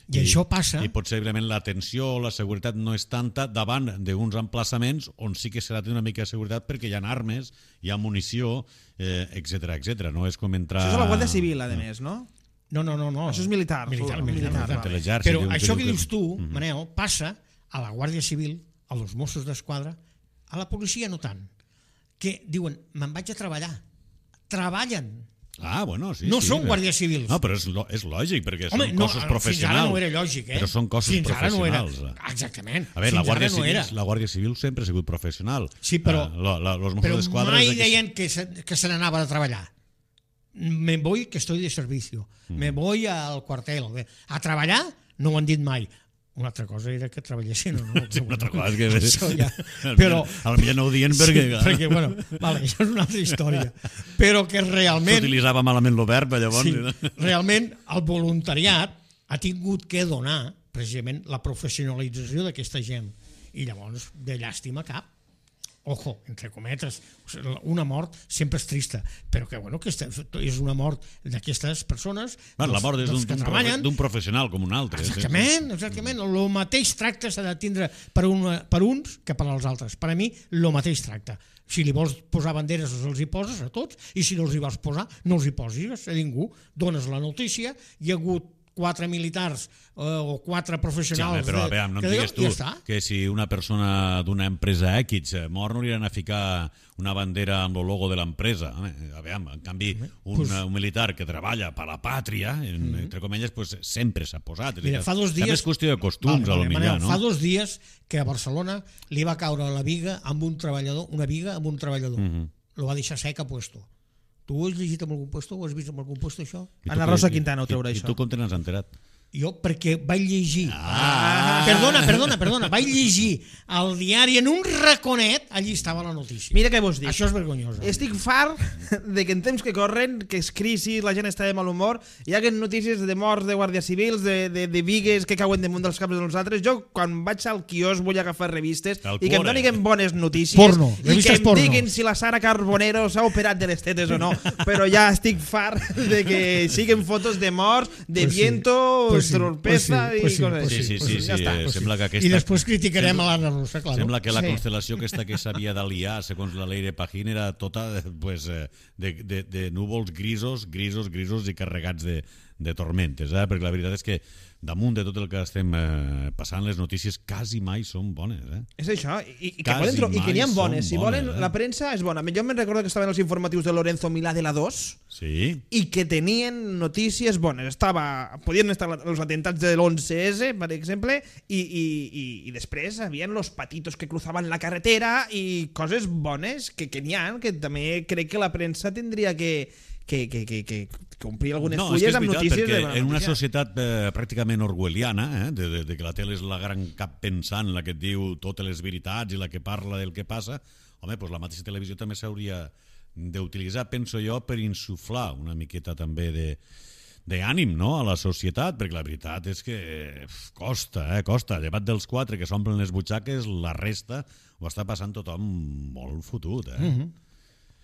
I això passa- i possiblement l'atenció o la seguretat no és tanta davant d'uns emplaçaments on sí que s'ha de tenir una mica de seguretat perquè hi ha armes, hi ha munició, eh, etcètera, etcètera. No és com entrar... Això és la Guàrdia Civil, a més, no? No, no, no, no. Això és militar, Militar, militar, militar. militar. De l'exèrcit, Però diu- això diu que que- dius tu, Mhm. Manel, passa a la Guàrdia Civil, a los Mossos d'Esquadra, a la policia no tant, que diuen, me'n vaig a treballar. Treballen. Ah, bueno, sí, No sí, són però- guàrdies civils. No, però és, lo, és lògic, perquè Home, són no, cossos fins professionals. ara no era lògic, eh? Però són cossos Fins ara no era. professionals. Exactament. A veure, la Fins Guàrdia, ara no Civil, era. la Guàrdia Civil sempre ha sigut professional. Sí, però- Eh, la, la, los Mossos Però d'Esquadra mai és que- deien que se, que se n'anaven a treballar. Me voy que estoy de servicio. Me voy al cuartel. A treballar no ho han dit mai. Una altra cosa era que treballessin o no. Sí, una altra cosa és que... Això ja. Al Però, millor- al millor no ho dient perquè... sí, perquè, bueno, vale, això és una altra història. Però que realment, S'utilitzava malament el verb, llavors... sí, no? realment el voluntariat ha tingut que donar precisament la professionalització d'aquesta gent. I llavors, de llàstima cap. Ojo, entre cometes, una mort sempre és trista, però que, bueno, que és una mort d'aquestes persones, Bueno, la mort és dels d'un que d'un profe- treballen. d'un professional com un altre. sí, sí. Exactament, exactament. El mateix tracte s'ha de tindre per, una, per uns que per als altres. Per a mi, el mateix tracte. Si li vols posar banderes, els hi poses a tots, i si no els hi vols posar, no els hi posis a ningú. Dones la notícia, hi ha hagut quatre militars eh, o quatre Sí, home, professionals... però, de- a veure, no em que digues tu ja està. que si una persona d'una empresa X eh, mor no li han a ficar una bandera amb el logo de l'empresa. Home, a veure, en canvi, un, Pues- un militar que treballa per la pàtria, en, entre comilles, pues, sempre s'ha posat. És a Mira, dir, fa dos dies... També és qüestió de costums, Vale, a lo vale, millor, Manel, no? Fa dos dies que a Barcelona li va caure la viga amb un treballador, una viga amb un treballador. Mhm. Lo va deixar sec a puesto. Tu ho has llegit en algun puesto? Ho has vist en algun puesto, això? I tu Ana què- Rosa Quintana ho traurà, i, això. I tu com te n'has enterat? Jo, perquè vaig llegir... Ah! Perdona, perdona, perdona. Vaig llegir al diari en un raconet, allí estava la notícia. Mira què vos dic. Això és vergonyós. Estic fart de que en temps que corren, que és crisi, la gent està de mal humor, hi ha notícies de morts de guàrdies civils, de, de, de vigues que cauen damunt dels caps de nosaltres. Jo, quan vaig al quiosc, vull agafar revistes Tal i que em cuore. donin bones notícies Porno, i que revistes em porno. diguin si la Sara Carbonero s'ha operat de les tetes o no. Però ja estic fart de que siguen fotos de morts, de Pues sí, viento, pues sí, tropeza pues sí, pues i sí, coses pues Sí, així. sí, pues sí, sí, sí, ja està. eh, Pues sí. sembla que aquesta... I després criticarem a l'Anna Rosa, clar. Sembla que la Sí. constel·lació aquesta que s'havia d'aliar, segons la Leire Pajín, era tota pues, eh, de, de, de núvols grisos, grisos, grisos i carregats de, de tormentes, eh? Perquè la veritat és que damunt de tot el que estem eh, passant, les notícies quasi mai són bones. Eh? És això, i, i que, Quasi poden tro- i que n'hi ha mai bones. són Si volen, bones, eh? la premsa és bona. Jo me'n recordo que estaven els informatius de Lorenzo Milà de la dos Sí? i que tenien notícies bones. Estava, podien estar els atentats de l'onze ese, per exemple, i, i, i, i després havien los patitos que cruzaven la carretera i coses bones que, que n'hi ha, que també crec que la premsa tindria que, que, que, que, que complir algunes No, és que fulles és amb veritat, notícies de perquè bona en una notícia. societat eh, pràcticament orwelliana, eh, de, de, de que la tele és la gran cap pensant, la que et diu totes les veritats i la que parla del que passa, home, doncs la mateixa televisió també s'hauria d'utilitzar, penso jo, per insuflar una miqueta també de d'ànim, no?, a la societat, perquè la veritat és que costa, eh, costa. Llevat dels quatre que s'omplen les butxaques, la resta ho està passant tothom molt fotut, eh? Mm-hmm.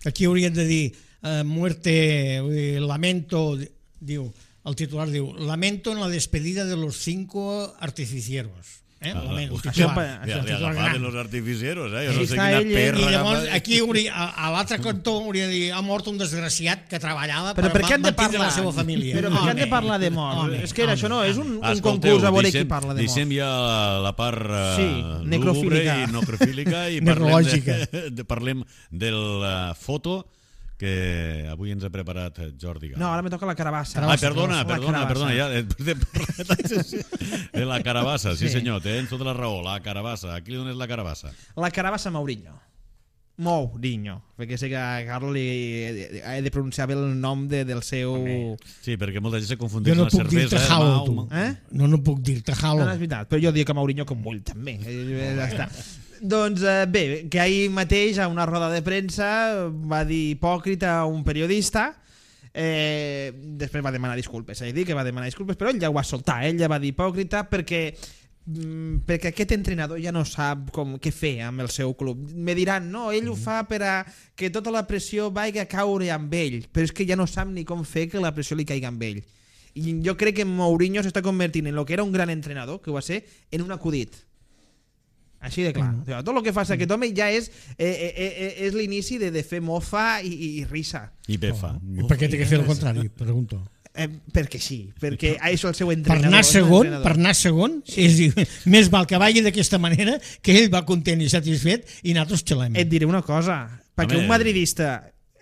Aquí haurien de dir eh, muerte, eh, lamento, diu, el titular diu, lamento en la despedida de los cinco artificieros. Eh? Ah, Lamento, el això titular, pa- el Ja, ja titular agafaven gran. els artificieros, eh? Jo Aquí no sé està quina ell, eh? perra I llavors agafa- aquí hauria, a, a l'altre cantó hauria de dir ha mort un desgraciat que treballava Però per per què han de mantindre parlar? la seva família. Però per què han de Home, parlar de mort? home, És que home, això no és un, un Escolteu, concurs a veure deixem- qui parla de mort. Deixem ja la, la part uh, Sí, necrofílica. i necrofílica i parlem, Necrològica. de, de, parlem del uh, foto que avui ens ha preparat Jordi Gal. No, ara me toca la carabassa. Ai, perdona, La perdona, carabassa. perdona, ja, després de parlar de la carabassa, sí, Sí. senyor, tens tota la raó, la carabassa. A qui li dones la carabassa? La carabassa Mourinho. Mourinho, perquè sé que a Carlos li he de pronunciar bé el nom de, del seu... Sí, perquè molta gent se Jo confundeix no la puc cervesa. dir-te eh, Halo, Mau, tu. Mau. Eh? No, no puc dir-te No, Halo. no, és veritat, però jo dic que Mourinho com vull també. Eh, ja està. Doncs eh, bé, que ahir mateix a una roda de premsa va dir hipòcrita a un periodista, eh, després va demanar disculpes, és a dir, que va demanar disculpes, però ell ja ho va soltar, ell ja va dir hipòcrita perquè mm, perquè aquest entrenador ja no sap com què fer amb el seu club. Me diran, no, ell ho fa per a que tota la pressió vagi a caure amb ell, però és que ja no sap ni com fer que la pressió li caigui amb ell. I jo crec que Mourinho s'està convertint en el que era un gran entrenador, que ho va ser, en un acudit. Així de clar. Mm. Tot el que fa aquest home ja és eh, eh, eh, és l'inici de, de fer mofa i, i, i risa. I befa. I per què té que fer el contrari? Pregunto. Eh, perquè sí, perquè és el seu Per entrenador. anar és un segon, entrenador. per anar segon, és, dir, més val que vagi d'aquesta manera, que ell va content i satisfet i nosaltres xelem. Et diré una cosa, perquè Home. un madridista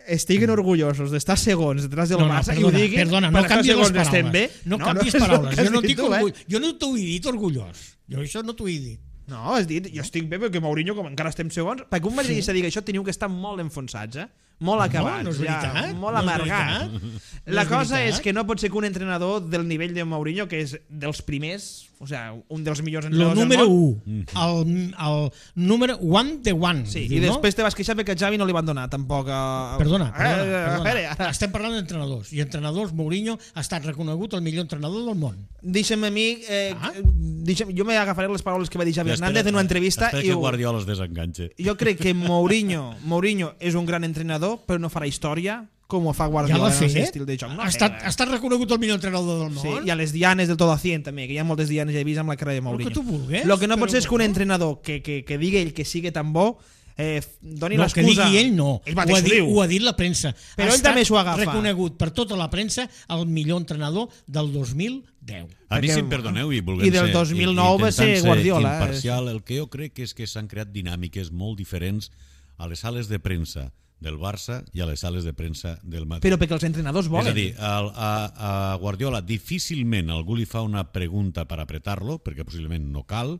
estiguen orgullosos d'estar segons detrás del No, no, Barça i perdona, ho diguin, perdona, per no estar canvies les segons estem bé. paraules. No, no canvies és el paraules. que has Jo no, dit dic tu, eh? orgull, jo no t'ho he dit orgullós. Jo això no t'ho he dit. No, has dit, jo estic bé perquè Mourinho, com encara estem segons, perquè un madridista digui això teniu que estar molt enfonsats, eh? Molt acabats, no és ja, veritat, molt no és amargats. veritat. La No és cosa veritat. és que no pot ser que un entrenador del nivell de Mourinho, que és dels primers, o sea, un dels millors El entrenadors número del món, un. El, el número one de one. sí, diu, i no? després te vas queixar perquè a Xavi no li van donar tampoc a... Perdona, Eh, perdona, eh, perdona. espera, ara. Estem parlant d'entrenadors. I entrenadors, Mourinho ha estat reconegut el millor entrenador del món. Deixa'm a mi, eh, Ah. deixa'm, jo m'agafaré les paraules que va dir Xavi Hernández en una entrevista Espera i que ho, Guardiola es desenganxe. jo crec que Mourinho, Mourinho és un gran entrenador, però no farà història com ho fa Ja Guardiola l'ha en el seu fet. estil de joc. No ha, estat, ha estat reconegut el millor entrenador del Sí, món. i a les dianes del todo a cien també, que hi ha moltes dianes ja he vist amb la cara de Mourinho. que tu vulguis, Lo que no però pot ser és que un no. entrenador que, que, que digui ell que sigui tan bo eh, doni No, que l'excusa. digui ell no. Ell ho, mateix ha ho dit, diu. ho ha dit la premsa. Però ha ell també estat s'ho agafa. reconegut per tota la premsa el millor entrenador del dos mil deu. A mi, Perquè- si em perdoneu, i volguem i del ser, dos mil nou va intentant ser Guardiola, eh? imparcial, el que jo crec és que s'han creat dinàmiques molt diferents a les sales de premsa del Barça i a les sales de premsa del Madrid. Però perquè els entrenadors volen. És a dir, al, a, a Guardiola difícilment algú li fa una pregunta per apretar-lo, perquè possiblement no cal.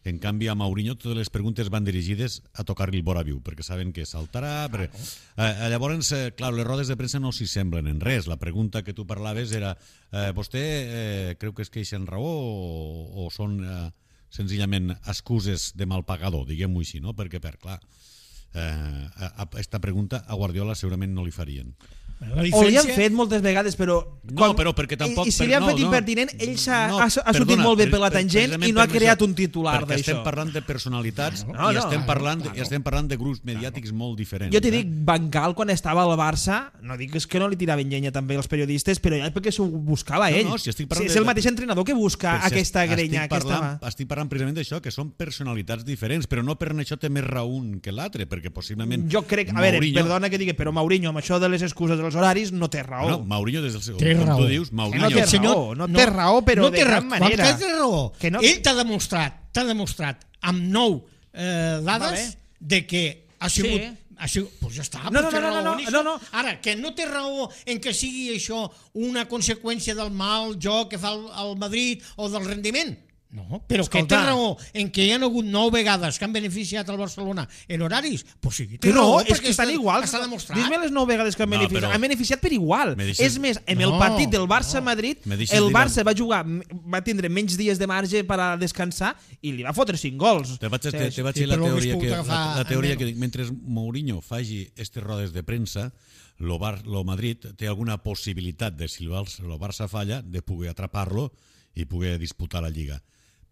En canvi, a Mourinho totes les preguntes van dirigides a tocar-li el vora viu, perquè saben que saltarà. Perquè... Eh, llavors, eh, clar, les rodes de premsa no s'hi semblen en res. La pregunta que tu parlaves era eh, vostè eh, creu que es queixen raó o, o són eh, senzillament excuses de mal pagador, diguem-ho així, no? Perquè, per clar, eh, a, a esta pregunta a Guardiola segurament no li farien. La O li han diferència... fet moltes vegades, però... No, però perquè tampoc- I, i si per- li han no, fet no. impertinent, ell s'ha No, ha, ha sortit perdona, molt bé per la pre- tangent precisament i no ha per creat això, un titular perquè d'això. estem parlant de personalitats No, i no, estem claro, parlant claro. i estem parlant de grups mediàtics molt diferents. Jo t'hi eh? dic, Van Gaal, quan estava al Barça, no dic és que no li tiraven llenya també als periodistes, però ja perquè s'ho buscava No, ell. no, si estic parlant és de- el mateix entrenador que busca Però si aquesta estic grenya. parlant, Aquesta... estic parlant precisament d'això, que són personalitats diferents, però no per això té més raó un que l'altre, perquè possiblement... Jo crec, a veure, Mourinho- perdona que digui, però Mourinho, amb això de les excuses dels horaris, no té raó. No, Mourinho, des del seu... Té com raó. tu dius, Que Mourinho... no té Aquest senyor- raó, no té raó, però no de té cap raó. manera. Quan té raó. Que no- Ell t'ha demostrat, t'ha demostrat amb nou eh, Va dades bé. de que ha sigut... Sí. Ha sigut, pues ja està, No, pues no, té no, no, raó no, en això. no, no. Ara, que no té raó en que sigui això una conseqüència del mal joc que fa el, el Madrid o del rendiment, No, però Escolta. que té raó en què hi ha hagut nou vegades que han beneficiat el Barcelona en horaris, pues sí, té Que no, raó, és perquè que estan iguals. Està demostrat. Dis-me les nou vegades que han No, beneficiat. però- Han beneficiat per igual. Me deixes- És més, en el No, partit del Barça-Madrid, Me deixes el dir- Barça va jugar, va tindre menys dies de marge per a descansar i li va fotre cinc gols. Te vaig, te, te vaig sí, dir la però hagués teoria, pogut que, agafar la, la teoria en que dic, mentre Mourinho faci aquestes rodes de premsa, lo, Bar, lo Madrid té alguna possibilitat de, si el Barça, el Barça falla, de poder atrapar-lo i poder disputar la Lliga.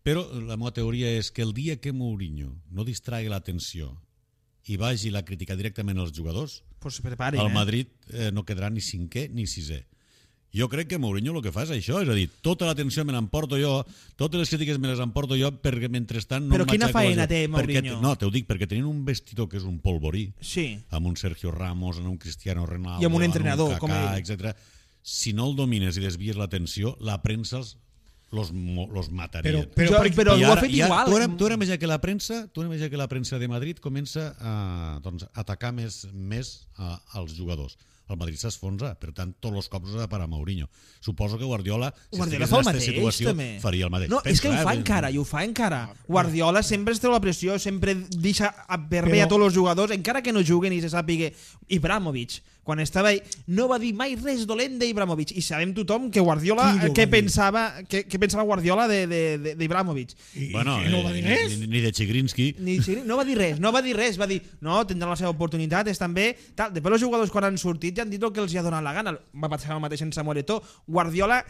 Però la meva teoria és que el dia que Mourinho no distregui l'atenció i vagi la crítica directament als jugadors, Pues preparin, el eh? Madrid eh, no quedarà ni cinquè ni sisè. Jo crec que Mourinho el que fa és això, és a dir, tota l'atenció me l'emporto jo, totes les crítiques me les emporto jo, perquè mentrestant no Però quina m'aixeco faena les- té perquè- Mourinho? No, t'ho dic, perquè tenint un vestidor que és un polvorí, Sí. amb un Sergio Ramos, amb un Cristiano Ronaldo, I amb un entrenador, amb un com Kaká, ell. etcètera. Si no el domines i desvies l'atenció, la premsa els, los, mo- los mataria. Però, però, Jo- per- però I ho ha ara- fet i ara- igual. Tu ara, tu ara imagina que la premsa, tu ara imagina que la premsa de Madrid comença a doncs, atacar més, més a, als jugadors. El Madrid s'esfonsa, per tant, tots els cops ha per a Mourinho. Suposo que Guardiola, si Guardiola estigués fa el en aquesta mateix, situació, també. faria el mateix. No, és Pensa, que ho eh, fa vull dir- encara, i ho fa encara. Guardiola sempre es treu la pressió, sempre deixa per bé Però- a tots els jugadors, encara que no juguen i se sàpiga. Ibrahimovic, quan estava ahí, no va dir mai res dolent d'Ibrahimovic. I sabem tothom que Guardiola, Qui no què va dir? pensava, què, què pensava Guardiola de- de- de- d'Ibrahimovic. I, Bueno, i no va eh, dir res. ni, ni de Chigrinsky. Ni, sí, no va dir res, no va dir res, va dir, no, tindran la seva oportunitat, estan bé, tal. Després els jugadors quan han sortit ja han dit el que els hi ha donat la gana. Va passar el mateix en Samuel Eto'o. Guardiola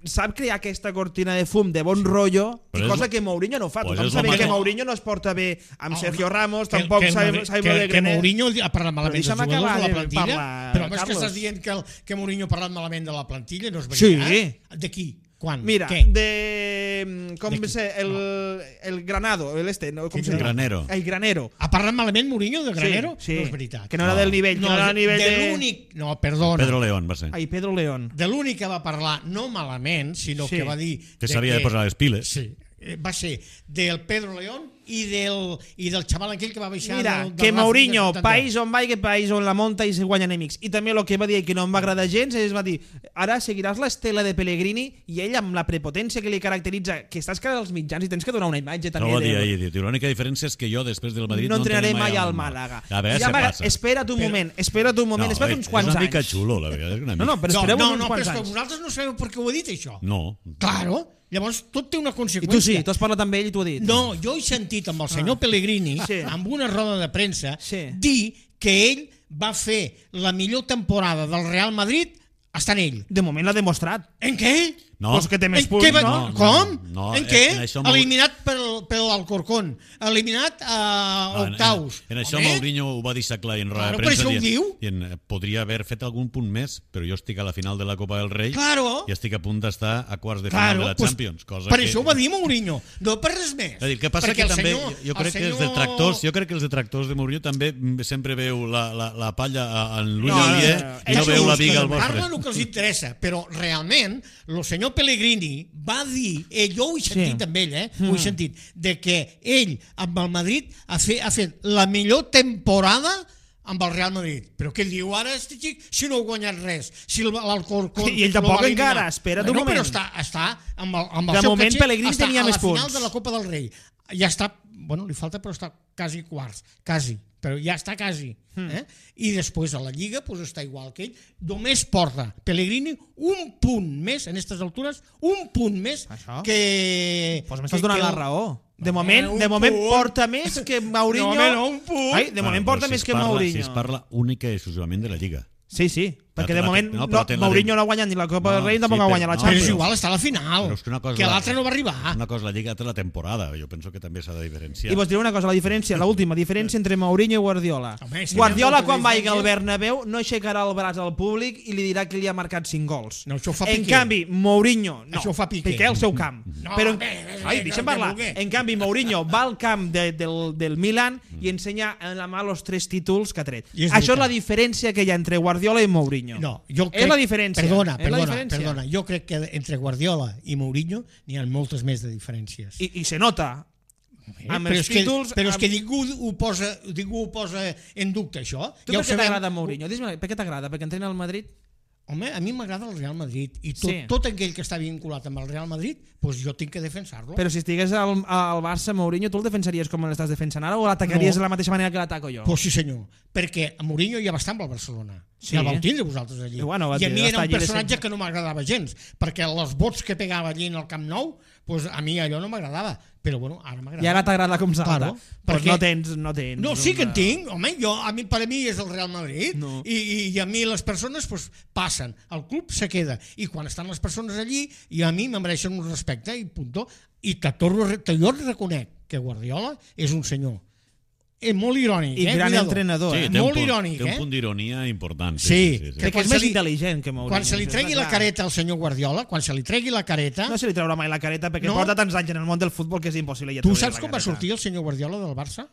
sap crear aquesta cortina de fum de bon rotllo, Però i és cosa lo- que Mourinho no fa. pues Tothom és lo sabe que mateix. Mourinho no es porta bé amb Home, Sergio Ramos, que- tampoc que el sabe, Madrid- sabe que, molt de que Grenet. Mourinho ha parlat malament dels deixa'm jugadors acabar de la de plantilla, parlar, però és que Carlos. estàs dient que, el, que Mourinho ha parlat malament de la plantilla, no és Sí. veritat? De qui? Quan? Mira, Què? de... Com De qui? sé, el, el Granado, el este, no, com Quin se diu? Granero. El Granero. Ha parlat malament Mourinho de Granero? Sí, sí. No és veritat. Que no era No. del nivell, que no, era del nivell de, de... l'únic... No, perdona. Pedro León va ser. Ai, Pedro León. De l'únic que va parlar, no malament, sinó Sí. que va dir... Que de s'havia de posar les piles. Sí, eh, va ser del Pedro León i del, i del xaval aquell que va baixar Mira, del, del que Racing Mourinho, de Santander. país on va i que país on la monta i se guanya enemics. I també el que va dir que no em va agradar gens és va dir, ara seguiràs l'estela de Pellegrini i ell amb la prepotència que li caracteritza, que estàs cara als mitjans i tens que donar una imatge també No va dir de... ahir, diu, l'única diferència és que jo després del Madrid no no, entrenaré entrené mai al Màlaga. A veure, Ja se m'agrada- passa. espera't un Però- moment, espera't un moment, no, espera't eh, uns quants és una mica anys. xulo, la veritat. És una mica... No, no, però No, espereu no, uns no, però quants és que anys. vosaltres no sabeu per què ho he dit, això. No. Claro, llavors tot té una I conseqüència. tu sí, tu has parlat amb ell i t'ho ha dit. No, jo he sentit amb el senyor Pellegrini, Sí. amb una roda de premsa, Sí. dir que ell va fer la millor temporada del Real Madrid estant ell. De moment l'ha demostrat. En què? No. Pues que té més En punts, què va- no? Com? No, en en- què? en això Mau- Eliminat pel, pel Alcorcón. Eliminat a No, en- octaus. En, en això Home, Mourinho ho va deixar clar en roda Claro, de per premsa. això ho dient- diu. dient, eh, podria haver fet algun punt més, però jo estic a la final de la Copa del Rei Claro. i estic a punt d'estar a quarts de final Claro, de la pues, Champions. Cosa per que... això ho va dir Mourinho, no per res més. És a dir, que passa Perquè que el també, senyor- jo crec el que els senyor- detractors, jo crec que els detractors de Mourinho també mm, sempre veu la, la, la palla a- en l'ull No, no, aliè no, i no És veu la just viga que al vostre. Parlen el que els interessa, però realment el senyor Pellegrini va dir, eh, jo ho he sentit Sí. amb ell, eh, ho he sentit, de que ell amb el Madrid ha fet, ha fet la millor temporada amb el Real Madrid. Però què diu ara este xic si no ha guanyat res? Si el- l'Alcorcón I ell lo tampoc va eliminar. encara, espera't un bueno, moment. Però està, està amb el, amb el De seu moment, caché, Pellegrini està tenia a més la final punts. de la Copa del Rei. Ja està, bueno, li falta però està quasi quarts, quasi, però ja està quasi. Hmm. Eh? I després a la Lliga pues, està igual que ell. Només porta Pellegrini un punt més, en aquestes altures, un punt més Això? que... Pues que- m'estàs donant que la el- raó. De No, moment, home, un de moment punt. porta més que Mourinho. No, home, no, un punt. Ai, de moment Bueno, porta però si més es que parla- Mourinho. Si es parla única i exclusivament de la Lliga. Sí, sí, perquè de la- moment no, no, però ten la Mourinho de- no ha guanyat ni la Copa No, del Rei ni tampoc sí, ha però- guanyat la no, Però és Champions. igual, està a la final. Però és que una cosa que és la- l'altre no va arribar. Una cosa la Lliga, altra la temporada. Jo penso que també s'ha de diferenciar. I vos diré una cosa, la diferència, l'última diferència entre Mourinho i Guardiola. Home, sí, Guardiola, hi ha molta quan vagi al diferència. Bernabéu, no aixecarà el braç al públic i li dirà que li ha marcat cinc gols. No, això ho fa en Piqué. canvi, Mourinho... No, Això ho fa Piqué. Piqué al seu camp. No, Però, bé, bé, ai, bé, deixa'm no, parlar. que vulgui. En canvi, Mourinho va al camp de, del, del Milan i ensenya en la mà els tres títols que ha tret. I és Això és veritat. la diferència que hi ha entre Guardiola i Mourinho. No, jo és crec, la diferència. Perdona, és la perdona, diferència. perdona. Jo crec que entre Guardiola i Mourinho n'hi ha moltes més de diferències. I, I se nota. Eh, amb però els és que, títols, però és amb- que ningú ho posa, ningú ho posa en dubte, això. Tu Ja per ho què sabem. t'agrada Mourinho? Dis-me, per què t'agrada? Perquè entrena al Madrid? home, a mi m'agrada el Real Madrid i tot, Sí. tot aquell que està vinculat amb el Real Madrid, doncs jo tinc que defensar-lo. Però si estigués al, al Barça, Mourinho, tu el defensaries com l'estàs defensant ara o l'atacaries No. de la mateixa manera que l'ataco jo? Pues sí senyor, perquè a Mourinho ja va estar amb el Barcelona. Sí. Ja el vau tindre vosaltres allí. I bueno, va I a mi estar era un allí de personatge sempre. que no m'agradava gens, perquè els vots que pegava allí en el Camp Nou, pues a mi allò no m'agradava. Però bueno, ara m'agrada. I ara t'agrada com salta. Claro, pues perquè- no tens, no tens. No, sí que en una- tinc. Home, jo, a mi, per a mi és el Real Madrid No. I, i, i a mi les persones pues, passen. El club se queda. I quan estan les persones allí, i a mi me mereixen un respecte i puntó. I te torno, a re- te, jo reconec que Guardiola és un senyor. És molt irònic, I eh? gran Cuidado. entrenador, Sí, eh? té un molt punt, irònic, té un eh? punt d'ironia important. Sí, sí, sí. Crec que quan és se més li- intel·ligent que Mourinho. Quan se li això tregui està la clar. careta al senyor Guardiola, quan se li tregui la careta... No se li traurà mai la careta perquè No. porta tants anys en el món del futbol que és impossible. Ja Tu treure saps la com va careta. sortir el senyor Guardiola del Barça?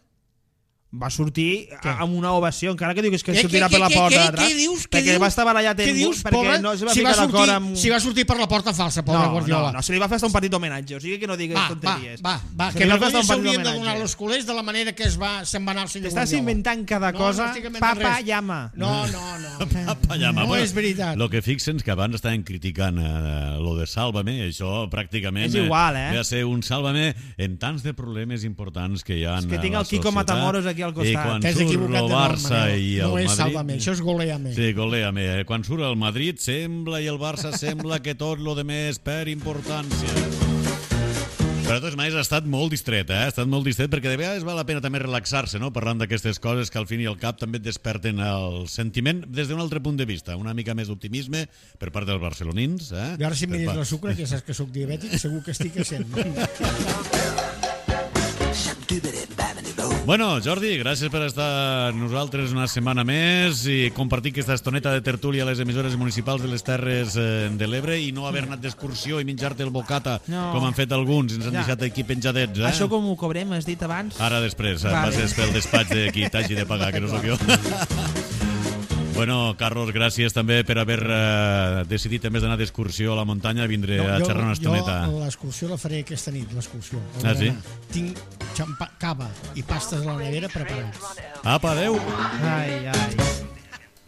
Va sortir Què? amb una ovació, encara que diu que, és que Què, sortirà què, per la què, porta què, d'atràs. què dius? Què Perquè dius? va estar barallat Què en dius, perquè pobre? no se va si va ficar d'acord sortir, amb... si va sortir per la porta falsa, pobre no, Guardiola. no, no, se li va fer hasta un partit d'homenatge, o sigui que no digues Va, va, tonteries. va, va, Se que li va fer vergonya hasta un partit s'haurien de donar d'homenatge. als culers de la manera que es va, se'n va anar el senyor T'estàs Guardiola. inventant cada No, cosa, no estic inventant papa res. llama. No, no, no. Papa llama. No és veritat. Lo que fixen que abans estaven criticant eh, lo de Sálvame, això pràcticament És igual, eh? ve a ser un Sálvame en tants de problemes importants que hi ha És que a tinc la el Quico societat. Matamoros aquí al costat. I quan T'has surt equivocat el de nom, Barça Manel. i el No és Madrid... Sálvame, això és Goléame. Sí, goléame. Quan surt el Madrid sembla i el Barça sembla que tot lo de més per importància. Però de totes maneres ha estat molt distret, eh? Ha estat molt distret perquè de vegades val la pena també relaxar-se, no? Parlant d'aquestes coses que al fin i al cap també et desperten el sentiment des d'un altre punt de vista, una mica més d'optimisme per part dels barcelonins, eh? I ara si em Per mires part- la sucre, que saps que sóc diabètic, segur que estic a cent. Bueno, Jordi, gràcies per estar amb nosaltres una setmana més i compartir aquesta estoneta de tertúlia a les emissores municipals de les Terres eh, de l'Ebre i no haver anat d'excursió i menjar-te el bocata, No. com han fet alguns, ens han Ja. deixat aquí penjadets, eh? Això com ho cobrem, has dit abans? Ara després, eh, Vale. passes pel despatx de qui t'hagi de pagar, que no sóc jo. Bueno, Carlos, gràcies també per haver eh, decidit, a més d'anar d'excursió a la muntanya, a vindre a xerrar una estoneta. Jo l'excursió la faré aquesta nit, l'excursió. Ah, sí? Tinc xampa, cava i pastes a la nevera preparats. Apa, adeu! Ai, ai.